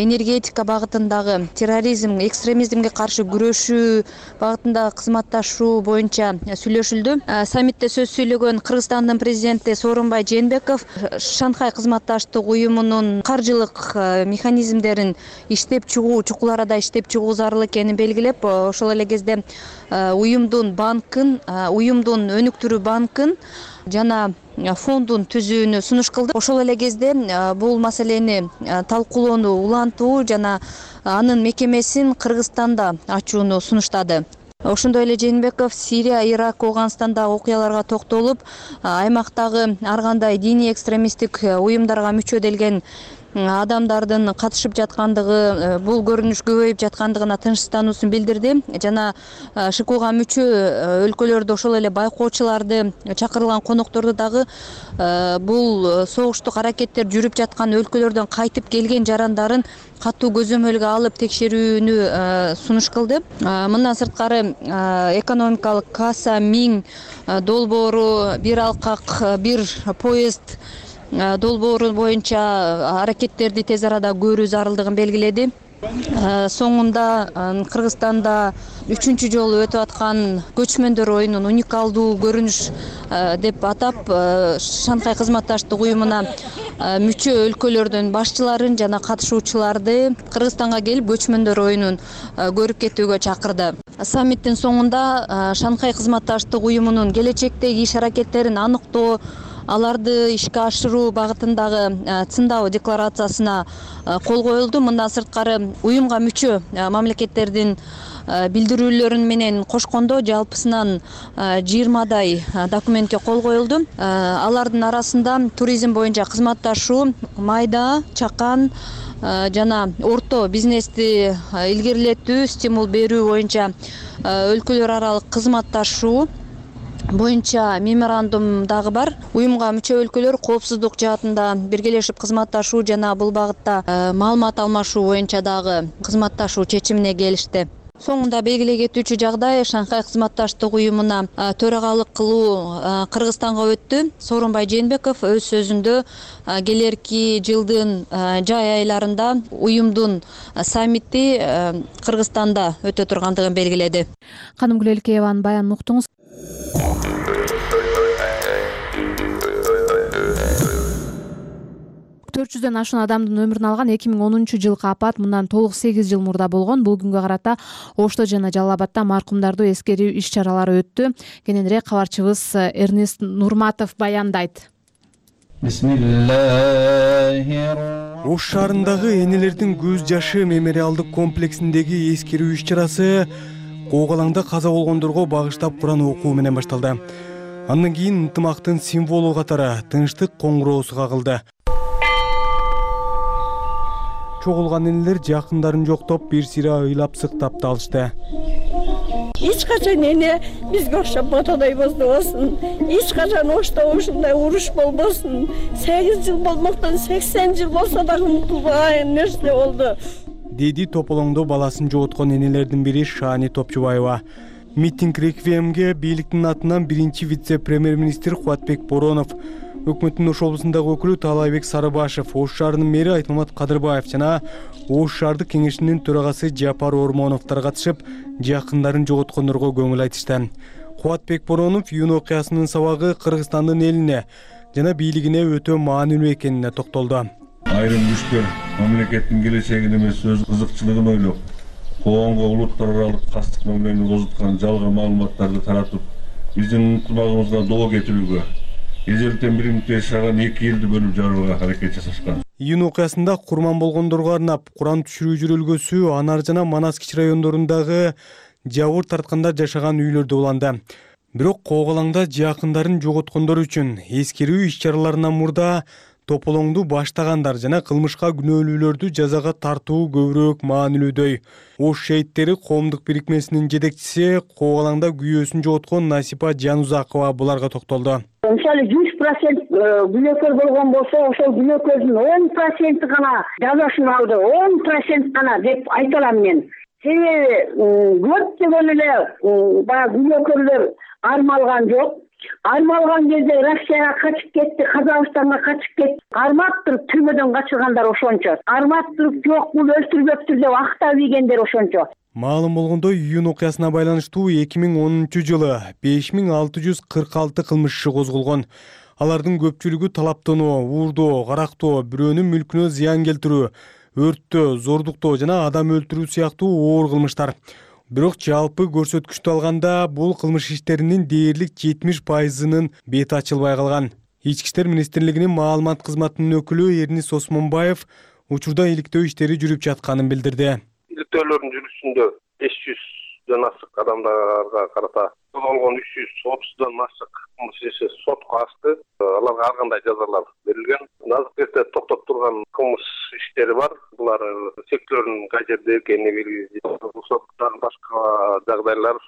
энергетика багытындагы терроризм, экстремизмге каршы күрөшүү багытындагы кызматташуу боюнча сүйлөшүлдү. Саммитте сөз сүйлөгөн Кыргызстандын президенти Сооронбай Жээнбеков Шанхай кызматташтык уюмунун каржылык механизмдерин иштеп чыгуу, чукул арада иштеп чыгуу зарыл экенин белгилеп, ошол эле кезде уюмдун банкын, уюмдун өнүктүрүү банкын жана фондун түзүүнү сунуш кылды. Ошол эле кезде бул маселени талкуулоону улантуу жана анын мекемесин Кыргызстанда ачууну сунуштады. Ошондой эле Жээнбеков Сирия, Ирак, Афганстандагы окуяларга токтолуп, аймактагы ар кандай диний экстремисттик уюмдарга мүчө делген адамдардын катышып жаткандыгы, бул көрүнүш көбөйүп жаткандыгына тынчсыздануусун билдирди жана ШИКУга мүчө өлкөлөрдө ошол эле байкоочуларды, чакырылган конокторду дагы бул согуштук аракеттер жүрүп жаткан өлкөлөрдөн кайтып келген жарандарын катуу көзөмөлгө алып текшерүүнү сунуш кылды. Мындан сырткары экономикалык касса миң долбоору, бир алкак, бир поезд долбоору боюнча аракеттерди тез арада көрүү зарылдыгын белгиледи. Соңунда Кыргызстанда үчүнчү жолу өтүп аткан көчмөндөр оюнун уникалдуу көрүнүш деп атап Шанхай кызматташтык уюмуна мүчө өлкөлөрдүн башчыларын жана катышуучуларды Кыргызстанга келип көчмөндөр оюнун көрүп кетүүгө чакырды. Саммиттин соңунда Шанхай кызматташтык уюмунун келечектеги иш аракеттерин аныктоо, аларды ишке ашыруу багытындагы цындау декларациясына кол коюлду. Мындан сырткары уюмга мүчө мамлекеттердин билдирүүлөрүн менен кошкондо жалпысынан жыйырмадай документке кол коюлду. Алардын арасында туризм боюнча кызматташуу, майда, чакан жана орто бизнести илгерилетүү, стимул берүү боюнча өлкөлөр аралык кызматташуу боюнча меморандум дагы бар. Уюмга мүчө өлкөлөр коопсуздук жаатында биргелешип кызматташуу жана бул багытта маалымат алмашуу боюнча дагы кызматташуу чечимине келишти. Соңунда белгилей кетүүчү жагдай Шанхай кызматташтык уюмуна төрагалык кылуу Кыргызстанга өттү. Сооронбай Жээнбеков өз сөзүндө келерки жылдын жай айларында уюмдун саммити Кыргызстанда өтө тургандыгын белгиледи. Канымгүл Элкееванын баянын уктуңуз. төрт жүздөн ашуун адамдын өмүрүн алган эки миң онунчу жылкы апат мындан толук сегиз жыл мурда болгон. Бул күнгө карата Ошто жана Жалал Абадда маркумдарды эскерүү иш чаралары өттү. Кененирээк кабарчыбыз Эрнест Нурматов баяндайт. Ош шаарындагы энелердин көз жашы мемориалдык комплексиндеги эскерүү иш чарасы Коогалаңда каза болгондорго багыштап Куран окуу менен башталды. Андан кийин ынтымактын символу катары тынчтык коңгуроосу кагылды. Чогулган энелер жакындарын жоктоп, бир сыйра ыйлап сыктап да алышты. Эч качан эне бизге окшоп ботодой боздобосун. Эч качан Ошто ушундай уруш болбосун. сегиз жыл болмоктон сексен жыл болсо дагы унутулбаган нерсе болду. Деди тополоңдо баласын жоготкон энелердин бири Шаани Топчубаева. Митинг реквиемге бийликтин атынан биринчи вице-премьер-министр Кубатбек Боронов, өкмөттүн Ош облусундагы өкүлү Таалайбек Сарыбашев, Ош шаарынын мэри Айтмамат Кадырбаев жана Ош шаардык кеңешинин төрагасы Жапар Ормоновдор катышып, жакындарын жоготкондорго көңүл айтышты. Кубатбек Боронов июнь окуясынын сабагы Кыргызстандын элине жана бийлигине өтө маанилүү экенине токтолду. Айрым күчтөр мамлекеттин келечегин эмес өз кызыкчылыгын ойлоп, коомго улуттар аралык кастык мамилени козуткан жалган маалыматтарды таратып, биздин ынтымагыбызга доо кетирүүгө, эжелден бир мүнөт жашаган эки элди бөлүп жарууга аракет жасашкан. Июнь окуясында курман болгондорго арнап Куран түшүрүү жүрүлгөсү Анар жана Манас кичи райондорундагы жабыр тарткандар жашаган үйлөрдө уланды. Бирок Коогалаңда жакындарын жоготкондор үчүн эскерүү иш чараларынан мурда тополоңду баштагандар жана кылмышка күнөөлүүлөрдү жазага тартуу көбүрөөк маанилүүдөй. Ош шейиттери коомдук бирикмесинин жетекчиси Коогалаңда күйөөсүн жоготкон Насипа Жанузакова буларга токтолду. Мисалы жүз процент күнөөкөр болгон болсо, ошол күнөөкөрдүн он проценти гана жазасын алды, он процент гана деп айта алам мен. Себеби көптөгөн эле баягы күнөөкөрлөр армалган жок. Армалган кезде Россияга качып кетти, Казакстанга качып кетти. Арматтырып түрмөдөн качыргандар ошончо. Арматтырып жок, бул өлтүрбөптүр деп актап ийгендер ошончо. Маалым болгондой, июнь окуясына байланыштуу эки миң онунчу жылы беш миң алты жүз кырк алты кылмыш иши козголгон. Алардын көпчүлүгү талаптоноо, уурдоо, карактоо, бирөөнүн мүлкүнө зыян келтирүү, өрттөө, зордуктоо жана адам өлтүрүү сыяктуу оор кылмыштар. Бирок жалпы көрсөткүчтү алганда бул кылмыш иштеринин дээрлик жетимиш пайызынын бети ачылбай калган. Ички иштер министрлигинин маалымат кызматынын өкүлү Эрнис Осмонбаев учурда иликтөө иштери жүрүп жатканын билдирди. Иликтөөлөрдүн жүрүшүндө беш жүздөн ашык адамдарга карата козголгон үч жүз отуздан ашык кылмыш иши сотко ачты. Аларга ар кандай жазалар берилген. Азыркы кезде токтоп турган кылмыш иштери бар. Булар сектörдүн кай жерде экени белгисиз. Соттагы башка жагдайлар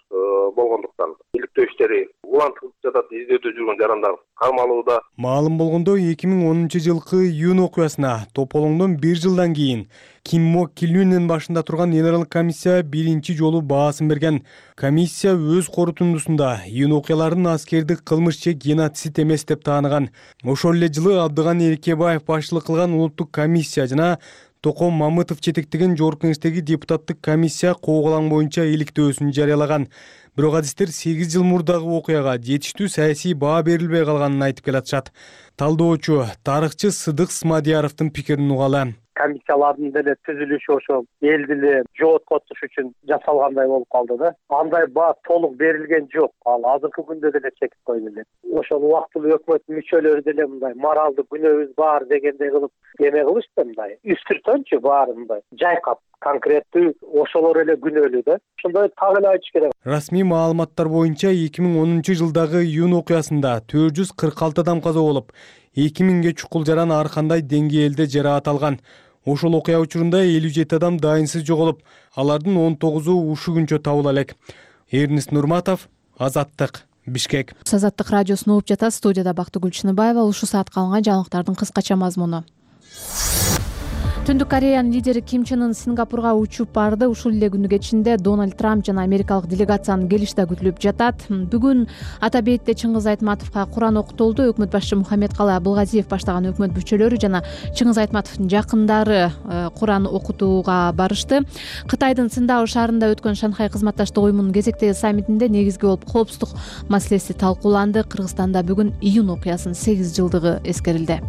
болгондуктан иликтөө иштери улантылып жатат. Издөөдө жүргөн жарандар кармалууда. Маалым болгондой, эки миң онунчу жылкы июнь окуясына тополоңдон бир жылдан кийин Ким Мок Килюнен башында турган эл аралык комиссия биринчи жолу баасын берген. Комиссия өз корутундусунда июнь окуяларын аскердик кылмыш же геноцид эмес деп тааныган. Ошол эле жылы Абдыган Эркебаев башчылык кылган улуттук комиссия жана Током Мамытов жетектеген Жогорку Кеңештеги депутаттык комиссия Кооголаң боюнча иликтөөсүн жарыялаган. Бирок адистер сегиз жыл мурдагы окуяга жетиштүү саясий баа берилбей калганын айтып келатышат. Талдоочу, тарыхчы Сыдык Смадияровдун пикирин угалы. Комиссиялардын деле түзүлүшү ошо элди эле жооткотуш үчүн жасалгандай болуп калды да. Андай баа толук берилген жок. Ал азыркы күндө деле чекип койду эле. Ошол убактылуу өкмөт мүчөлөрү деле мындай моралдык күнөөбүз бар дегендей кылып эме кылышты мындай. Үстүртөнчү баарын мындай жайкап конкреттүү ошолор эле күнөөлүү да. Ошондой так эле айтыш керек. Расмий маалыматтар боюнча эки миң онунчу жылдагы июнь окуясында төрт жүз кырк алты адам каза болуп, эки миңге чукул жаран ар кандай деңгээлде жараат алган. Ошол окуя учурунда элүү жети адам дайынсыз жоголуп, алардын он тогузу ушу күнчө табыла элек. Эрнис Нурматов, Азаттык, Бишкек. Азаттык радиосуна угуп жатасыз. Студияда Бактыгүл Чыныбаева. Ушул саатка алынган жаңылыктардын кыскача мазмуну. Түндүк Кореянын лидери Ким Чен Ын Сингапурга учуп барды. Ушул эле күнү кечинде Дональд Трамп жана америкалык делегациянын келиши да күтүлүп жатат. Бүгүн Атабейитте Чыңгыз Айтматовго Куран окутулду. Өкмөт башчы Мухаммедкалый Абылгазиев баштаган өкмөт мүчөлөрү жана Чыңгыз Айтматовдун жакындары Куран окутууга барышты. Кытайдын Циндао шаарында өткөн Шанхай кызматташтык уюмунун кезектеги саммитинде негизги болуп коопсуздук маселеси талкууланды. Кыргызстанда бүгүн июнь окуясынын сегиз жылдыгы эскерилди.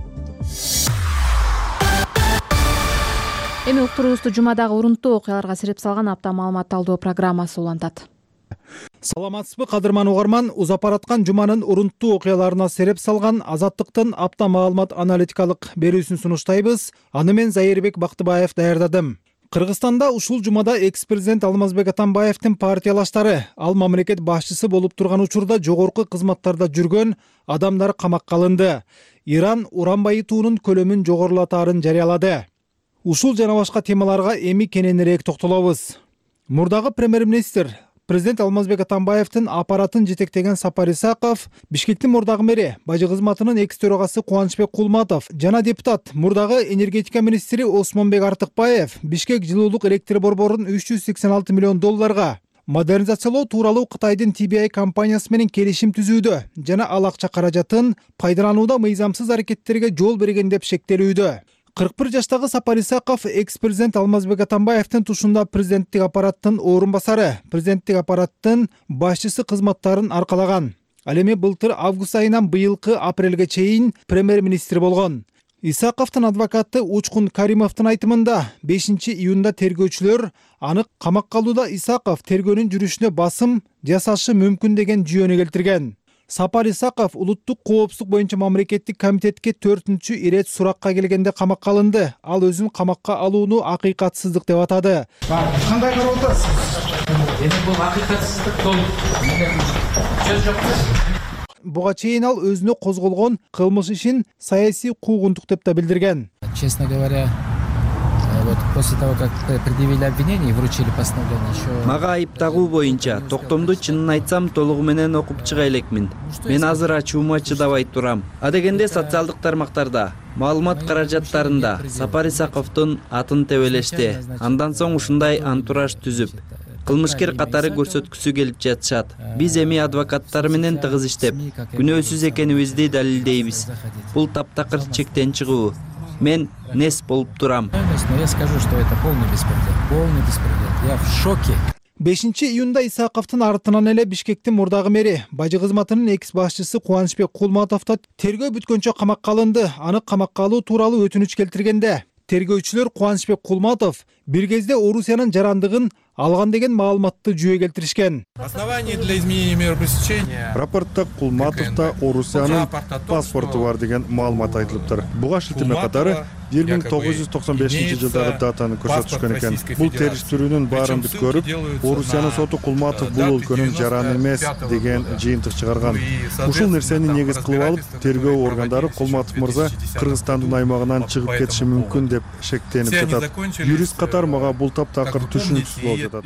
Эми уктуруубузду жумадагы урунттуу окуяларга сереп салган апта маалымат талдоо программасы улантат. Саламатсызбы кадырман угарман, узапараткан жуманын урунттуу окуяларына сереп салган Азаттыктын апта маалымат аналитикалык берүүсүн сунуштайбыз. Аны мен Зайырбек Бактыбаев даярдадым. Кыргызстанда ушул жумада экс-президент Алмазбек Атамбаевдин партиялаштары, ал мамлекет башчысы болуп турган учурда жогорку кызматтарда жүргөн адамдар камакка алынды. Иран уран байытуунун көлөмүн жогорулатаарын жарыялады. Ушул жана башка темаларга эми кененирээк токтолобуз. Мурдагы премьер-министр президент Алмазбек Атамбаевдин аппаратын жетектеген Сапар Исаков, Бишкектин мурдагы мэри бажы кызматынын экс төрагасы Кубанычбек Кулматов жана депутат мурдагы энергетика министри Осмонбек Артыкбаев Бишкек жылуулук электр борборун үч жүз сексен алты миллион долларга модернизациялоо тууралуу Кытайдын Ти Би Ай компаниясы менен келишим түзүүдө жана ал акча каражатын пайдаланууда мыйзамсыз аракеттерге жол берген деп шектелүүдө. кырк бир жаштагы Сапар Исаков экс-президент Алмазбек Атамбаевдин тушунда президенттик аппараттын орун басары, президенттик аппараттын башчысы кызматтарын аркалаган. Ал эми былтыр август айынан быйылкы апрелге чейин премьер-министр болгон. Исаковдун адвокаты Учкун Каримовдун айтымында бешинчи июнда тергөөчүлөр аны камакка алууда Исаков тергөөнүн жүрүшүнө басым жасашы мүмкүн деген жүйөнү келтирген. Сапар Исаков улуттук коопсуздук боюнча мамлекеттик комитетке төртүнчү ирет суракка келгенде камакка алынды. Ал өзүн камакка алууну акыйкатсыздык деп атады. Кандай карап атасыз? Эми бул акыйкатсыздык толук. Сөз жок. Буга чейин ал өзүнө козголгон кылмыш ишин саясий куугунтук деп да билдирген. Честно говоря, вот после того, как предъявили обвинение и вручили постановление еще... Мага айып тагуу боюнча токтомду чынын айтсам толугу менен окуп чыга элекмин. Мен азыр ачуума чыдабай турам. А дегенде социалдык тармактарда, маалымат каражаттарында Сапар Исаковдун атын тебелешти. Андан соң ушундай антураж түзүп, кылмышкер катары көрсөткүсү келип жатышат. Биз эми адвокаттар менен тыгыз иштеп, күнөөсүз экенибизди далилдейбиз. Бул таптакыр чектен чыгуу. Мен нес болуп турам. Но я скажу, что это полный беспредел. Полный беспредел. Я в шоке. бешинчи июнда Исаковдун артынан эле Бишкектин мурдагы мэри бажы кызматынын экс башчысы Кубанычбек Кулматов да тергөө бүткөнчө камакка алынды. Аны камакка алуу тууралуу өтүнүч келтиргенде тергөөчүлөр Кубанычбек Кулматов бир кезде Орусиянын жарандыгын алган деген маалыматты жүйө келтиришкен. Основание для изменения меры пресечения. Рапортта Кулматовда Орусиянын паспорту бар деген маалымат айтылыптыр. Буга шилтеме катары бир миң тогуз жүз токсон бешинчи жылдагы датаны көрсөтүшкөн экен. Бул териштирүүнүн баарын бүт көрүп, Орусиянын соту Кулматов бул өлкөнүн жараны эмес деген жыйынтык чыгарган. Ушул нерсени негиз кылып алып, тергөө органдары Кулматов мырза Кыргызстандын аймагынан чыгып кетиши мүмкүн деп шектенип жатат. Юрист катары мага бул таптакыр түшүнүксүз болуп жатат.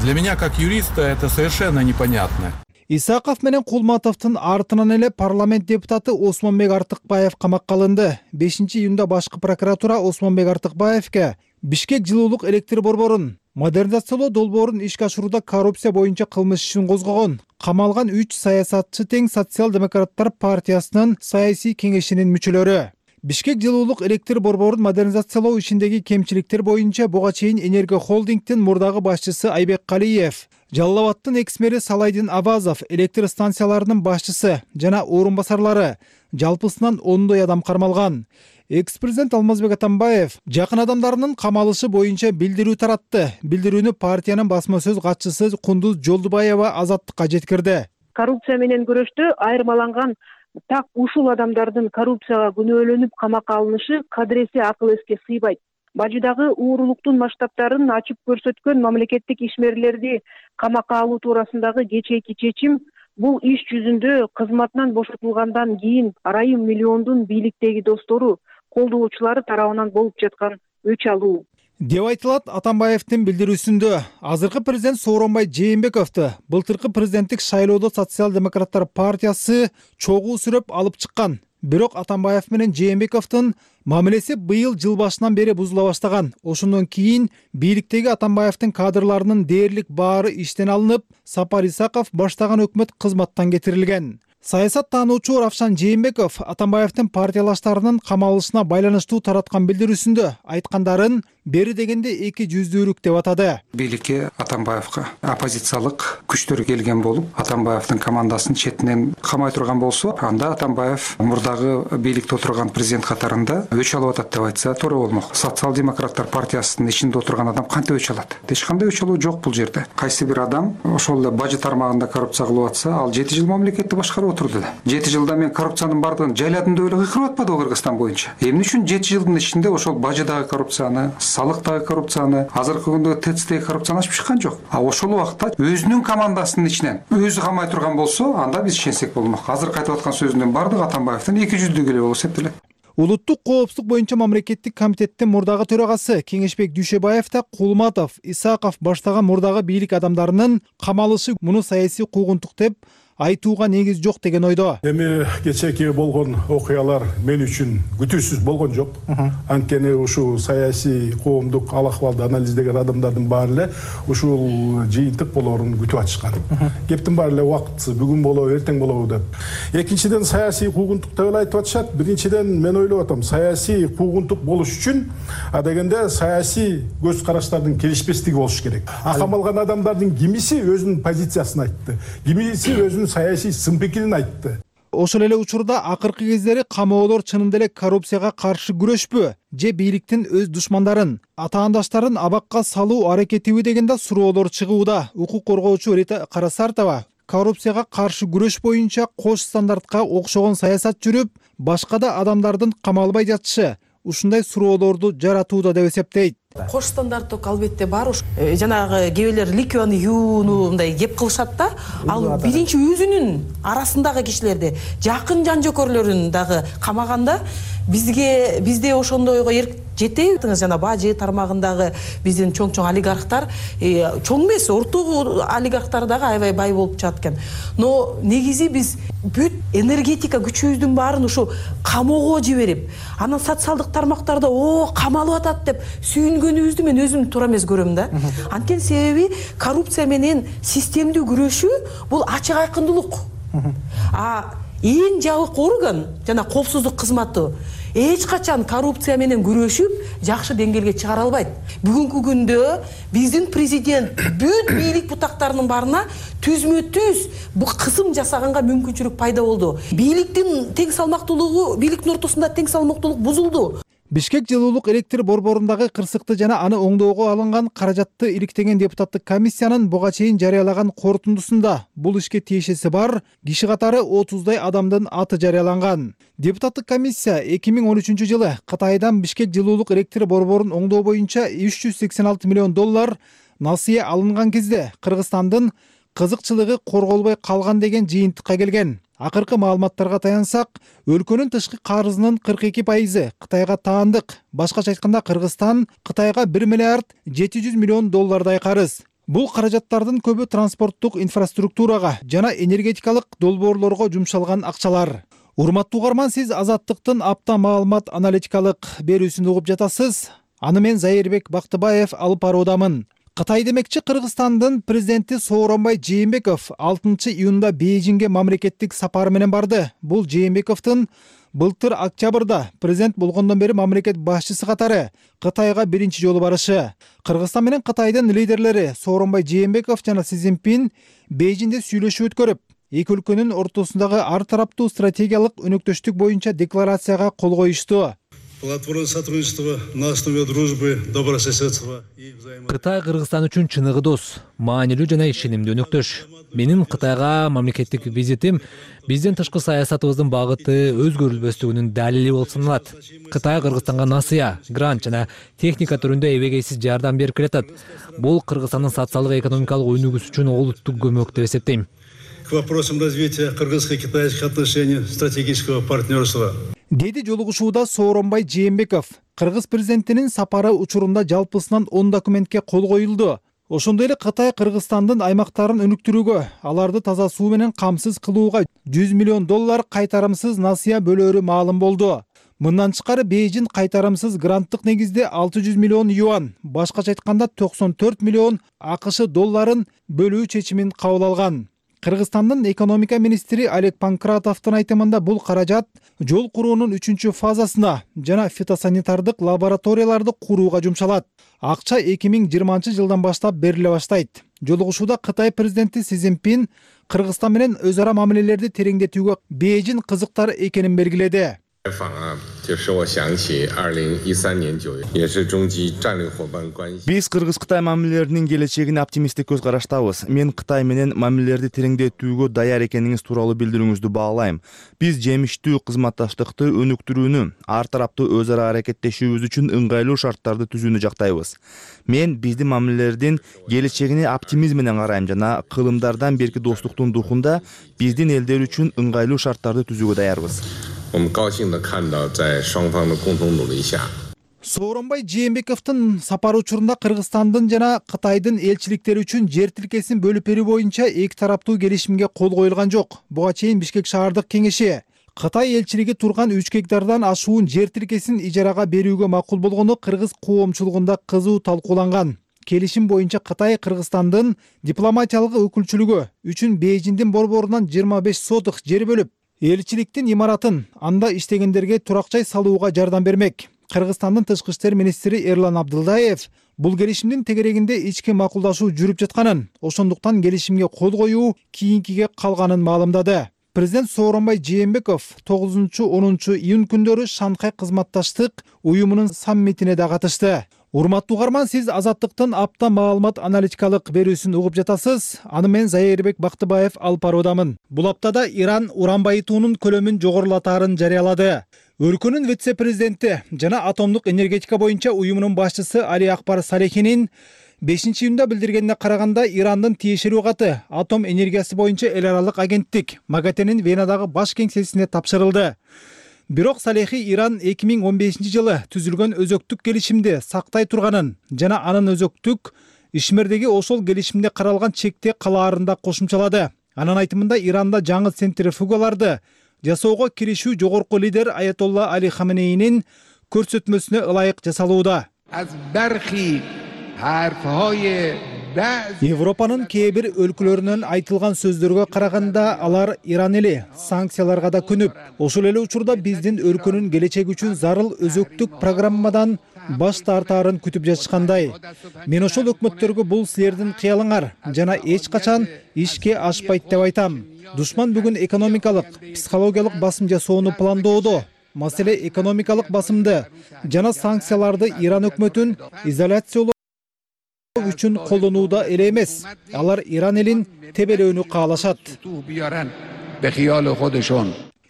Для меня как юриста это совершенно непонятно. Исаков менен Кулматовдун артынан эле парламент депутаты Осмонбек Артыкбаев камакка алынды. бешинчи июнда башкы прокуратура Осмонбек Артыкбаевке Бишкек жылуулук электр борборун модернизациялоо долбоорун ишке ашырууда коррупция боюнча кылмыш ишин козгогон. Камалган үч саясатчы тең социал-демократтар партиясынын саясий кеңешинин мүчөлөрү. Бишкек жылуулук электр борборун модернизациялоо ишиндеги кемчиликтер боюнча буга чейин Энерго холдингдин мурдагы башчысы Айбек Калиев, Жалал Абадтын экс-мэри Салайдин Абазов, электр станцияларынын башчысы жана орун басарлары жалпысынан ондой адам кармалган. Экс-президент Алмазбек Атамбаев жакын адамдарынын камалышы боюнча билдирүү таратты. Билдирүүнү партиянын басма сөз катчысы Кундуз Жолдубаева Азаттыкка жеткирди. Коррупция менен күрөштө айырмаланган так ушул адамдардын коррупцияга күнөөлөнүп камакка алынышы кадыресе акыл эске сыйбайт. Бажыдагы уурулуктун масштабтарын ачып көрсөткөн мамлекеттик ишмерлерди камакка алуу туурасындагы кечээки чечим бул иш жүзүндө кызматынан бошотулгандан кийин арайым миллиондун бийликтеги достору, колдоочулары тарабынан болуп жаткан өч алуу деп айтылат Атамбаевдин билдирүүсүндө. Азыркы президент Сооронбай Жээнбековду былтыркы президенттик шайлоодо социал-демократтар партиясы чогуу сүрөп алып чыккан. Бирок Атамбаев менен Жээнбековдун мамилеси быйыл жыл башынан бери бузула баштаган. Ошондон кийин бийликтеги Атамбаевдин кадрларынын дээрлик баары иштен алынып, Сапар Исаков баштаган өкмөт кызматтан кетирилген. Саясат таануучу Равшан Жээнбеков Атамбаевдин партиялаштарынын камалышына байланыштуу тараткан билдирүүсүндө айткандарын бери дегенде эки жүздүүлүк деп атады. Бийликке Атамбаевга оппозициялык күчтөр келген болуп, Атамбаевдин командасын четинен камай турган болсо, анда Атамбаев мурдагы бийликте отурган президент катарында өч алып атат деп айтса туура болмок. Социал-демократтар партиясынын ичинде отурган адам кантип өч алат? Эч кандай өч алуу жок бул жерде. Кайсы бир адам ошол эле бажы тармагында коррупция кылып атса, ал жети жыл мамлекетти башкарып отурду да. жети жылда мен коррупциянын бардыгын жайладым деп эле кыйкырып атпадыбы Кыргызстан боюнча? Эмне үчүн жети жылдын ичинде ошол бажыдагы коррупцияны, салыктагы коррупцияны, азыркы күндөгү ТЭЦтеги коррупцияны ачып чыккан жок. А ошол убакта өзүнүн командасынын ичинен өзү камай турган болсо, анда биз ишенсек болмок. Азыр кайтып аткан сөзүнүн бардыгы Атамбаевдин эки жүздүүлүк эле болуп эсептелет. Улуттук коопсуздук боюнча мамлекеттик комитеттин мурдагы төрагасы Кеңешбек Дүйшөбаев да Кулматов, Исаков баштаган мурдагы бийлик адамдарынын камалышы муну саясий куугунтук деп айтууга негиз жок деген ойдо. Эми кечээки болгон окуялар мен үчүн күтүүсүз болгон жок. Анткени ушул саясий коомдук ал акыбалды анализдеген адамдардын баары эле ушул жыйынтык болоорун күтүп атышкан. Кептин баары эле убактысы бүгүн болобу, эртең болобу деп. Экинчиден саясий куугунтук деп эле айтып атышат. Биринчиден мен ойлоп атам, саясий куугунтук болуш үчүн адегенде саясий көз караштардын келишпестиги болуш керек. А камалган адамдардын кимиси өзүнүн позициясын айтты, кимиси өзүнүн саясий сын пикирин айтты. Ошол эле учурда акыркы кездери камоолор чынында эле коррупцияга каршы күрөшпү же бийликтин өз душмандарын, атаандаштарын абакка салуу аракетиби деген да суроолор чыгууда. Укук коргоочу Рита Карасартова коррупцияга каршы күрөш боюнча кош стандартка окшогон саясат жүрүп, башка да адамдардын камалбай жатышы ушундай суроолорду жаратууда деп эсептейт. Кош стандарттык албетте бар. Жанагы кээбелер ликвияны юууну мындай кеп кылышат да. Ал биринчи өзүнүн арасындагы кишилерди, жакын жан жөкөрлөрүн дагы камаганда бизге бизде ошондойго эрк жетеби? Жана бажы тармагындагы биздин чоң-чоң олигархтар, чоң эмес, орто олигархтар дагы аябай бай болуп чыгат экен. Но негизи биз бүт энергетика күчүбүздүн баарын ушу камоого жиберип, анан социалдык тармактарда о камалып атат деп сүйүнгөнүбүздү мен өзүм туура эмес көрөм да. Анткени себеби коррупция менен системдүү күрөшүү бул ачык айкындуулук. А эң жабык орган жана коопсуздук кызматы эч качан коррупция менен күрөшүп жакшы деңгээлге чыгара албайт. Бүгүнкү күндө биздин президент бүт бийлик бутактарынын баарына түзмө-түз бул кысым жасаганга мүмкүнчүлүк пайда болду. Бийликтин тең салмактуулугу, бийликтин ортосунда тең салмактуулук бузулду. Бишкек жылуулук электр борборундагы кырсыкты жана аны оңдоого алынган каражатты иликтеген депутаттык комиссиянын буга чейин жарыялаган корутундусунда бул ишке тиешеси бар киши катары отуздай адамдын аты жарыяланган. Депутаттык комиссия эки миң он үчүнчү жылы Кытайдан Бишкек жылуулук электр борборун оңдоо боюнча үч жүз сексен алты миллион доллар насыя алынган кезде Кыргызстандын кызыкчылыгы корголбой калган деген жыйынтыкка келген. Акыркы маалыматтарга таянсак, өлкөнүн тышкы карызынын кырк эки пайызы Кытайга таандык. Башкача айтканда, Кыргызстан Кытайга бир миллиард жети жүз миллион доллардай карыз. Бул каражаттардын көбү транспорттук инфраструктурага жана энергетикалык долбоорлорго жумшалган акчалар. Урматтуу угарман, сиз Азаттыктын апта маалымат аналитикалык берүүсүн угуп жатасыз. Аны мен Зайырбек Бактыбаев алып баруудамын. Кытай демекчи, Кыргызстандын президенти Сооронбай Жээнбеков алтынчы июнда Бейжиңге мамлекеттик сапары менен барды. Бул Жээнбековдун былтыр октябрда президент болгондон бери мамлекет башчысы катары Кытайга биринчи жолу барышы. Кыргызстан менен Кытайдын лидерлери Сооронбай Жээнбеков жана Си Цзиньпин Бейжиңде сүйлөшүү өткөрүп, эки өлкөнүн ортосундагы ар тараптуу стратегиялык өнөктөштүк боюнча декларацияга кол коюшту. Платформа сотрудничества на основе дружбы, добрососедства и взаимодействия. Кытай Кыргызстан үчүн чыныгы дос, маанилүү жана ишенимдүү өнөктөш. Менин Кытайга мамлекеттик визитим биздин тышкы саясатыбыздын багыты өзгөрүлбөстүгүнүн далили болуп саналат. Кытай Кыргызстанга насыя, грант жана техника түрүндө эбегейсиз жардам берип келатат. Бул Кыргызстандын социалдык экономикалык өнүгүүсү үчүн олуттук көмөк деп эсептейм. К вопросам развития кыргызско-китайских отношений, стратегического партнерства. Деди жолугушууда Сооронбай Жээнбеков. Кыргыз президентинин сапары учурунда жалпысынан он документке кол коюлду. Ошондой эле Кытай Кыргызстандын аймактарын өнүктүрүүгө, аларды таза суу менен камсыз кылууга жүз миллион доллар кайтарымсыз насыя бөлөөрү маалым болду. Мындан тышкары Бейжиң кайтарымсыз гранттык негизде алты жүз миллион юан, башкача айтканда токсон төрт миллион АКШ долларын бөлүү чечимин кабыл алган. Кыргызстандын экономика министри Олег Панкратовдун айтымында бул каражат жол куруунун үчүнчү фазасына жана фитосанитардык лабораторияларды курууга жумшалат. Акча эки миң жыйырманчы жылдан баштап бериле баштайт. Жолугушууда Кытай президенти Си Цзиньпин Кыргызстан менен өз ара мамилелерди тереңдетүүгө Бейжиң кызыктар экенин белгиледи. Биз Кыргыз-Кытай мамилелеринин келечегине оптимисттик көз караштабыз. Мен Кытай менен мамилелерди тереңдетүүгө даяр экениңиз тууралуу билдирүүңүздү баалайм. Биз жемиштүү кызматташтыкты өнүктүрүүнү, ар тараптуу өз ара аракеттешүүбүз үчүн ыңгайлуу шарттарды түзүүнү жактайбыз. Мен биздин мамилелердин келечегине оптимизм менен карайм жана кылымдардан берки достуктун духунда биздин элдер үчүн ыңгайлуу шарттарды түзүүгө даярбыз. Сооронбай Жээнбековдун сапары учурунда Кыргызстандын жана Кытайдын элчиликтери үчүн жер тилкесин бөлүп берүү боюнча эки тараптуу келишимге кол коюлган жок. Буга чейин Бишкек шаардык кеңеши Кытай элчилиги турган үч гектардан ашуун жер тилкесин ижарага берүүгө макул болгону кыргыз коомчулугунда кызуу талкууланган. Келишим боюнча Кытай Кыргызстандын дипломатиялык өкүлчүлүгү үчүн Бейжиңдин борборунан жыйырма беш сотых жер бөлүп, элчиликтин имаратын анда иштегендерге турак жай салууга жардам бермек. Кыргызстандын тышкы иштер министри Эрлан Абдылдаев бул келишимдин тегерегинде ички макулдашуу жүрүп жатканын, ошондуктан келишимге кол коюу кийинкиге калганын маалымдады. Президент Сооронбай Жээнбеков тогузунчу онунчу июнь күндөрү Шанхай кызматташтык уюмунун саммитине да катышты. Урматтуу угарман, сиз Азаттыктын апта маалымат аналитикалык берүүсүн угуп жатасыз. Аны мен Зайырбек Бактыбаев алып баруудамын. Бул аптада Иран уран байытуунун көлөмүн жогорулатаарын жарыялады. Өлкөнүн вице-президенти жана атомдук энергетика боюнча уюмунун башчысы Али Акбар Салехинин бешинчи июнда билдиргенине караганда, Ирандын тиешелүү каты атом энергиясы боюнча эл аралык агенттик МАГАТЭнин Венадагы баш кеңсесине тапшырылды. Бирок Салехи Иран эки миң он бешинчи жылы түзүлгөн өзөктүк келишимди сактай турганын жана анын өзөктүк ишмердеги ошол келишимде каралган чекте калаарында кошумчалады. Анын айтымында, Иранда жаңы центрифугаларды жасоого киришүү жогорку лидер Аятолла Али Хаменейнин көрсөтмөсүнө ылайык жасалууда. Европанын кээ бир өлкөлөрүнөн айтылган сөздөргө караганда, алар Иран эли санкцияларга да күнүп, ошол эле учурда биздин өлкөнүн келечеги үчүн зарыл өзөктүк программадан баш тартаарын күтүп жатышкандай. Мен ошол өкмөттөргө бул силердин кыялыңар жана эч качан ишке ашпайт деп айтам. Душман бүгүн экономикалык, психологиялык басым жасоону пландоодо. маселе экономикалык басымды жана санкцияларды Иран өкмөтүн изоляциялоо үчүн колдонууда эле эмес. Алар Иран элин тебелөөнү каалашат.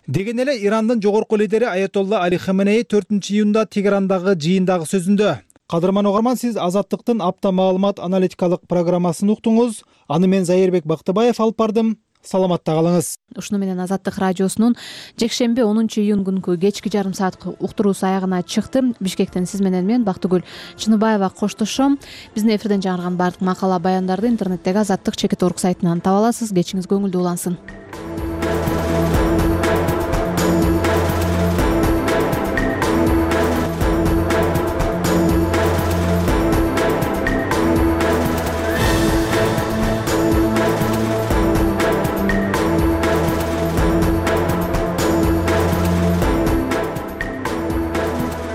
Деген эле Ирандын жогорку лидери Аятолла Али Хаменеи төртүнчү июнда Тегерандагы жыйындагы сөзүндө. Кадырман угарман, сиз Азаттыктын апта маалымат аналитикалык программасын уктуңуз. Аны мен Зайырбек Бактыбаев алып бардым. Саламатта калыңыз. Ушуну менен Азаттык радиосунун жекшемби онунчу июнь күнкү кечки жарым саатка уктуруусу аягына чыкты. Бишкектен сиз менен мен Бактыгүл Чыныбаева коштошом. Биздин эфирден жаңырган бардык макала баяндарды интернеттеги Азаттык чекит орг сайтынан таба аласыз. Кечиңиз көңүлдүү улансын.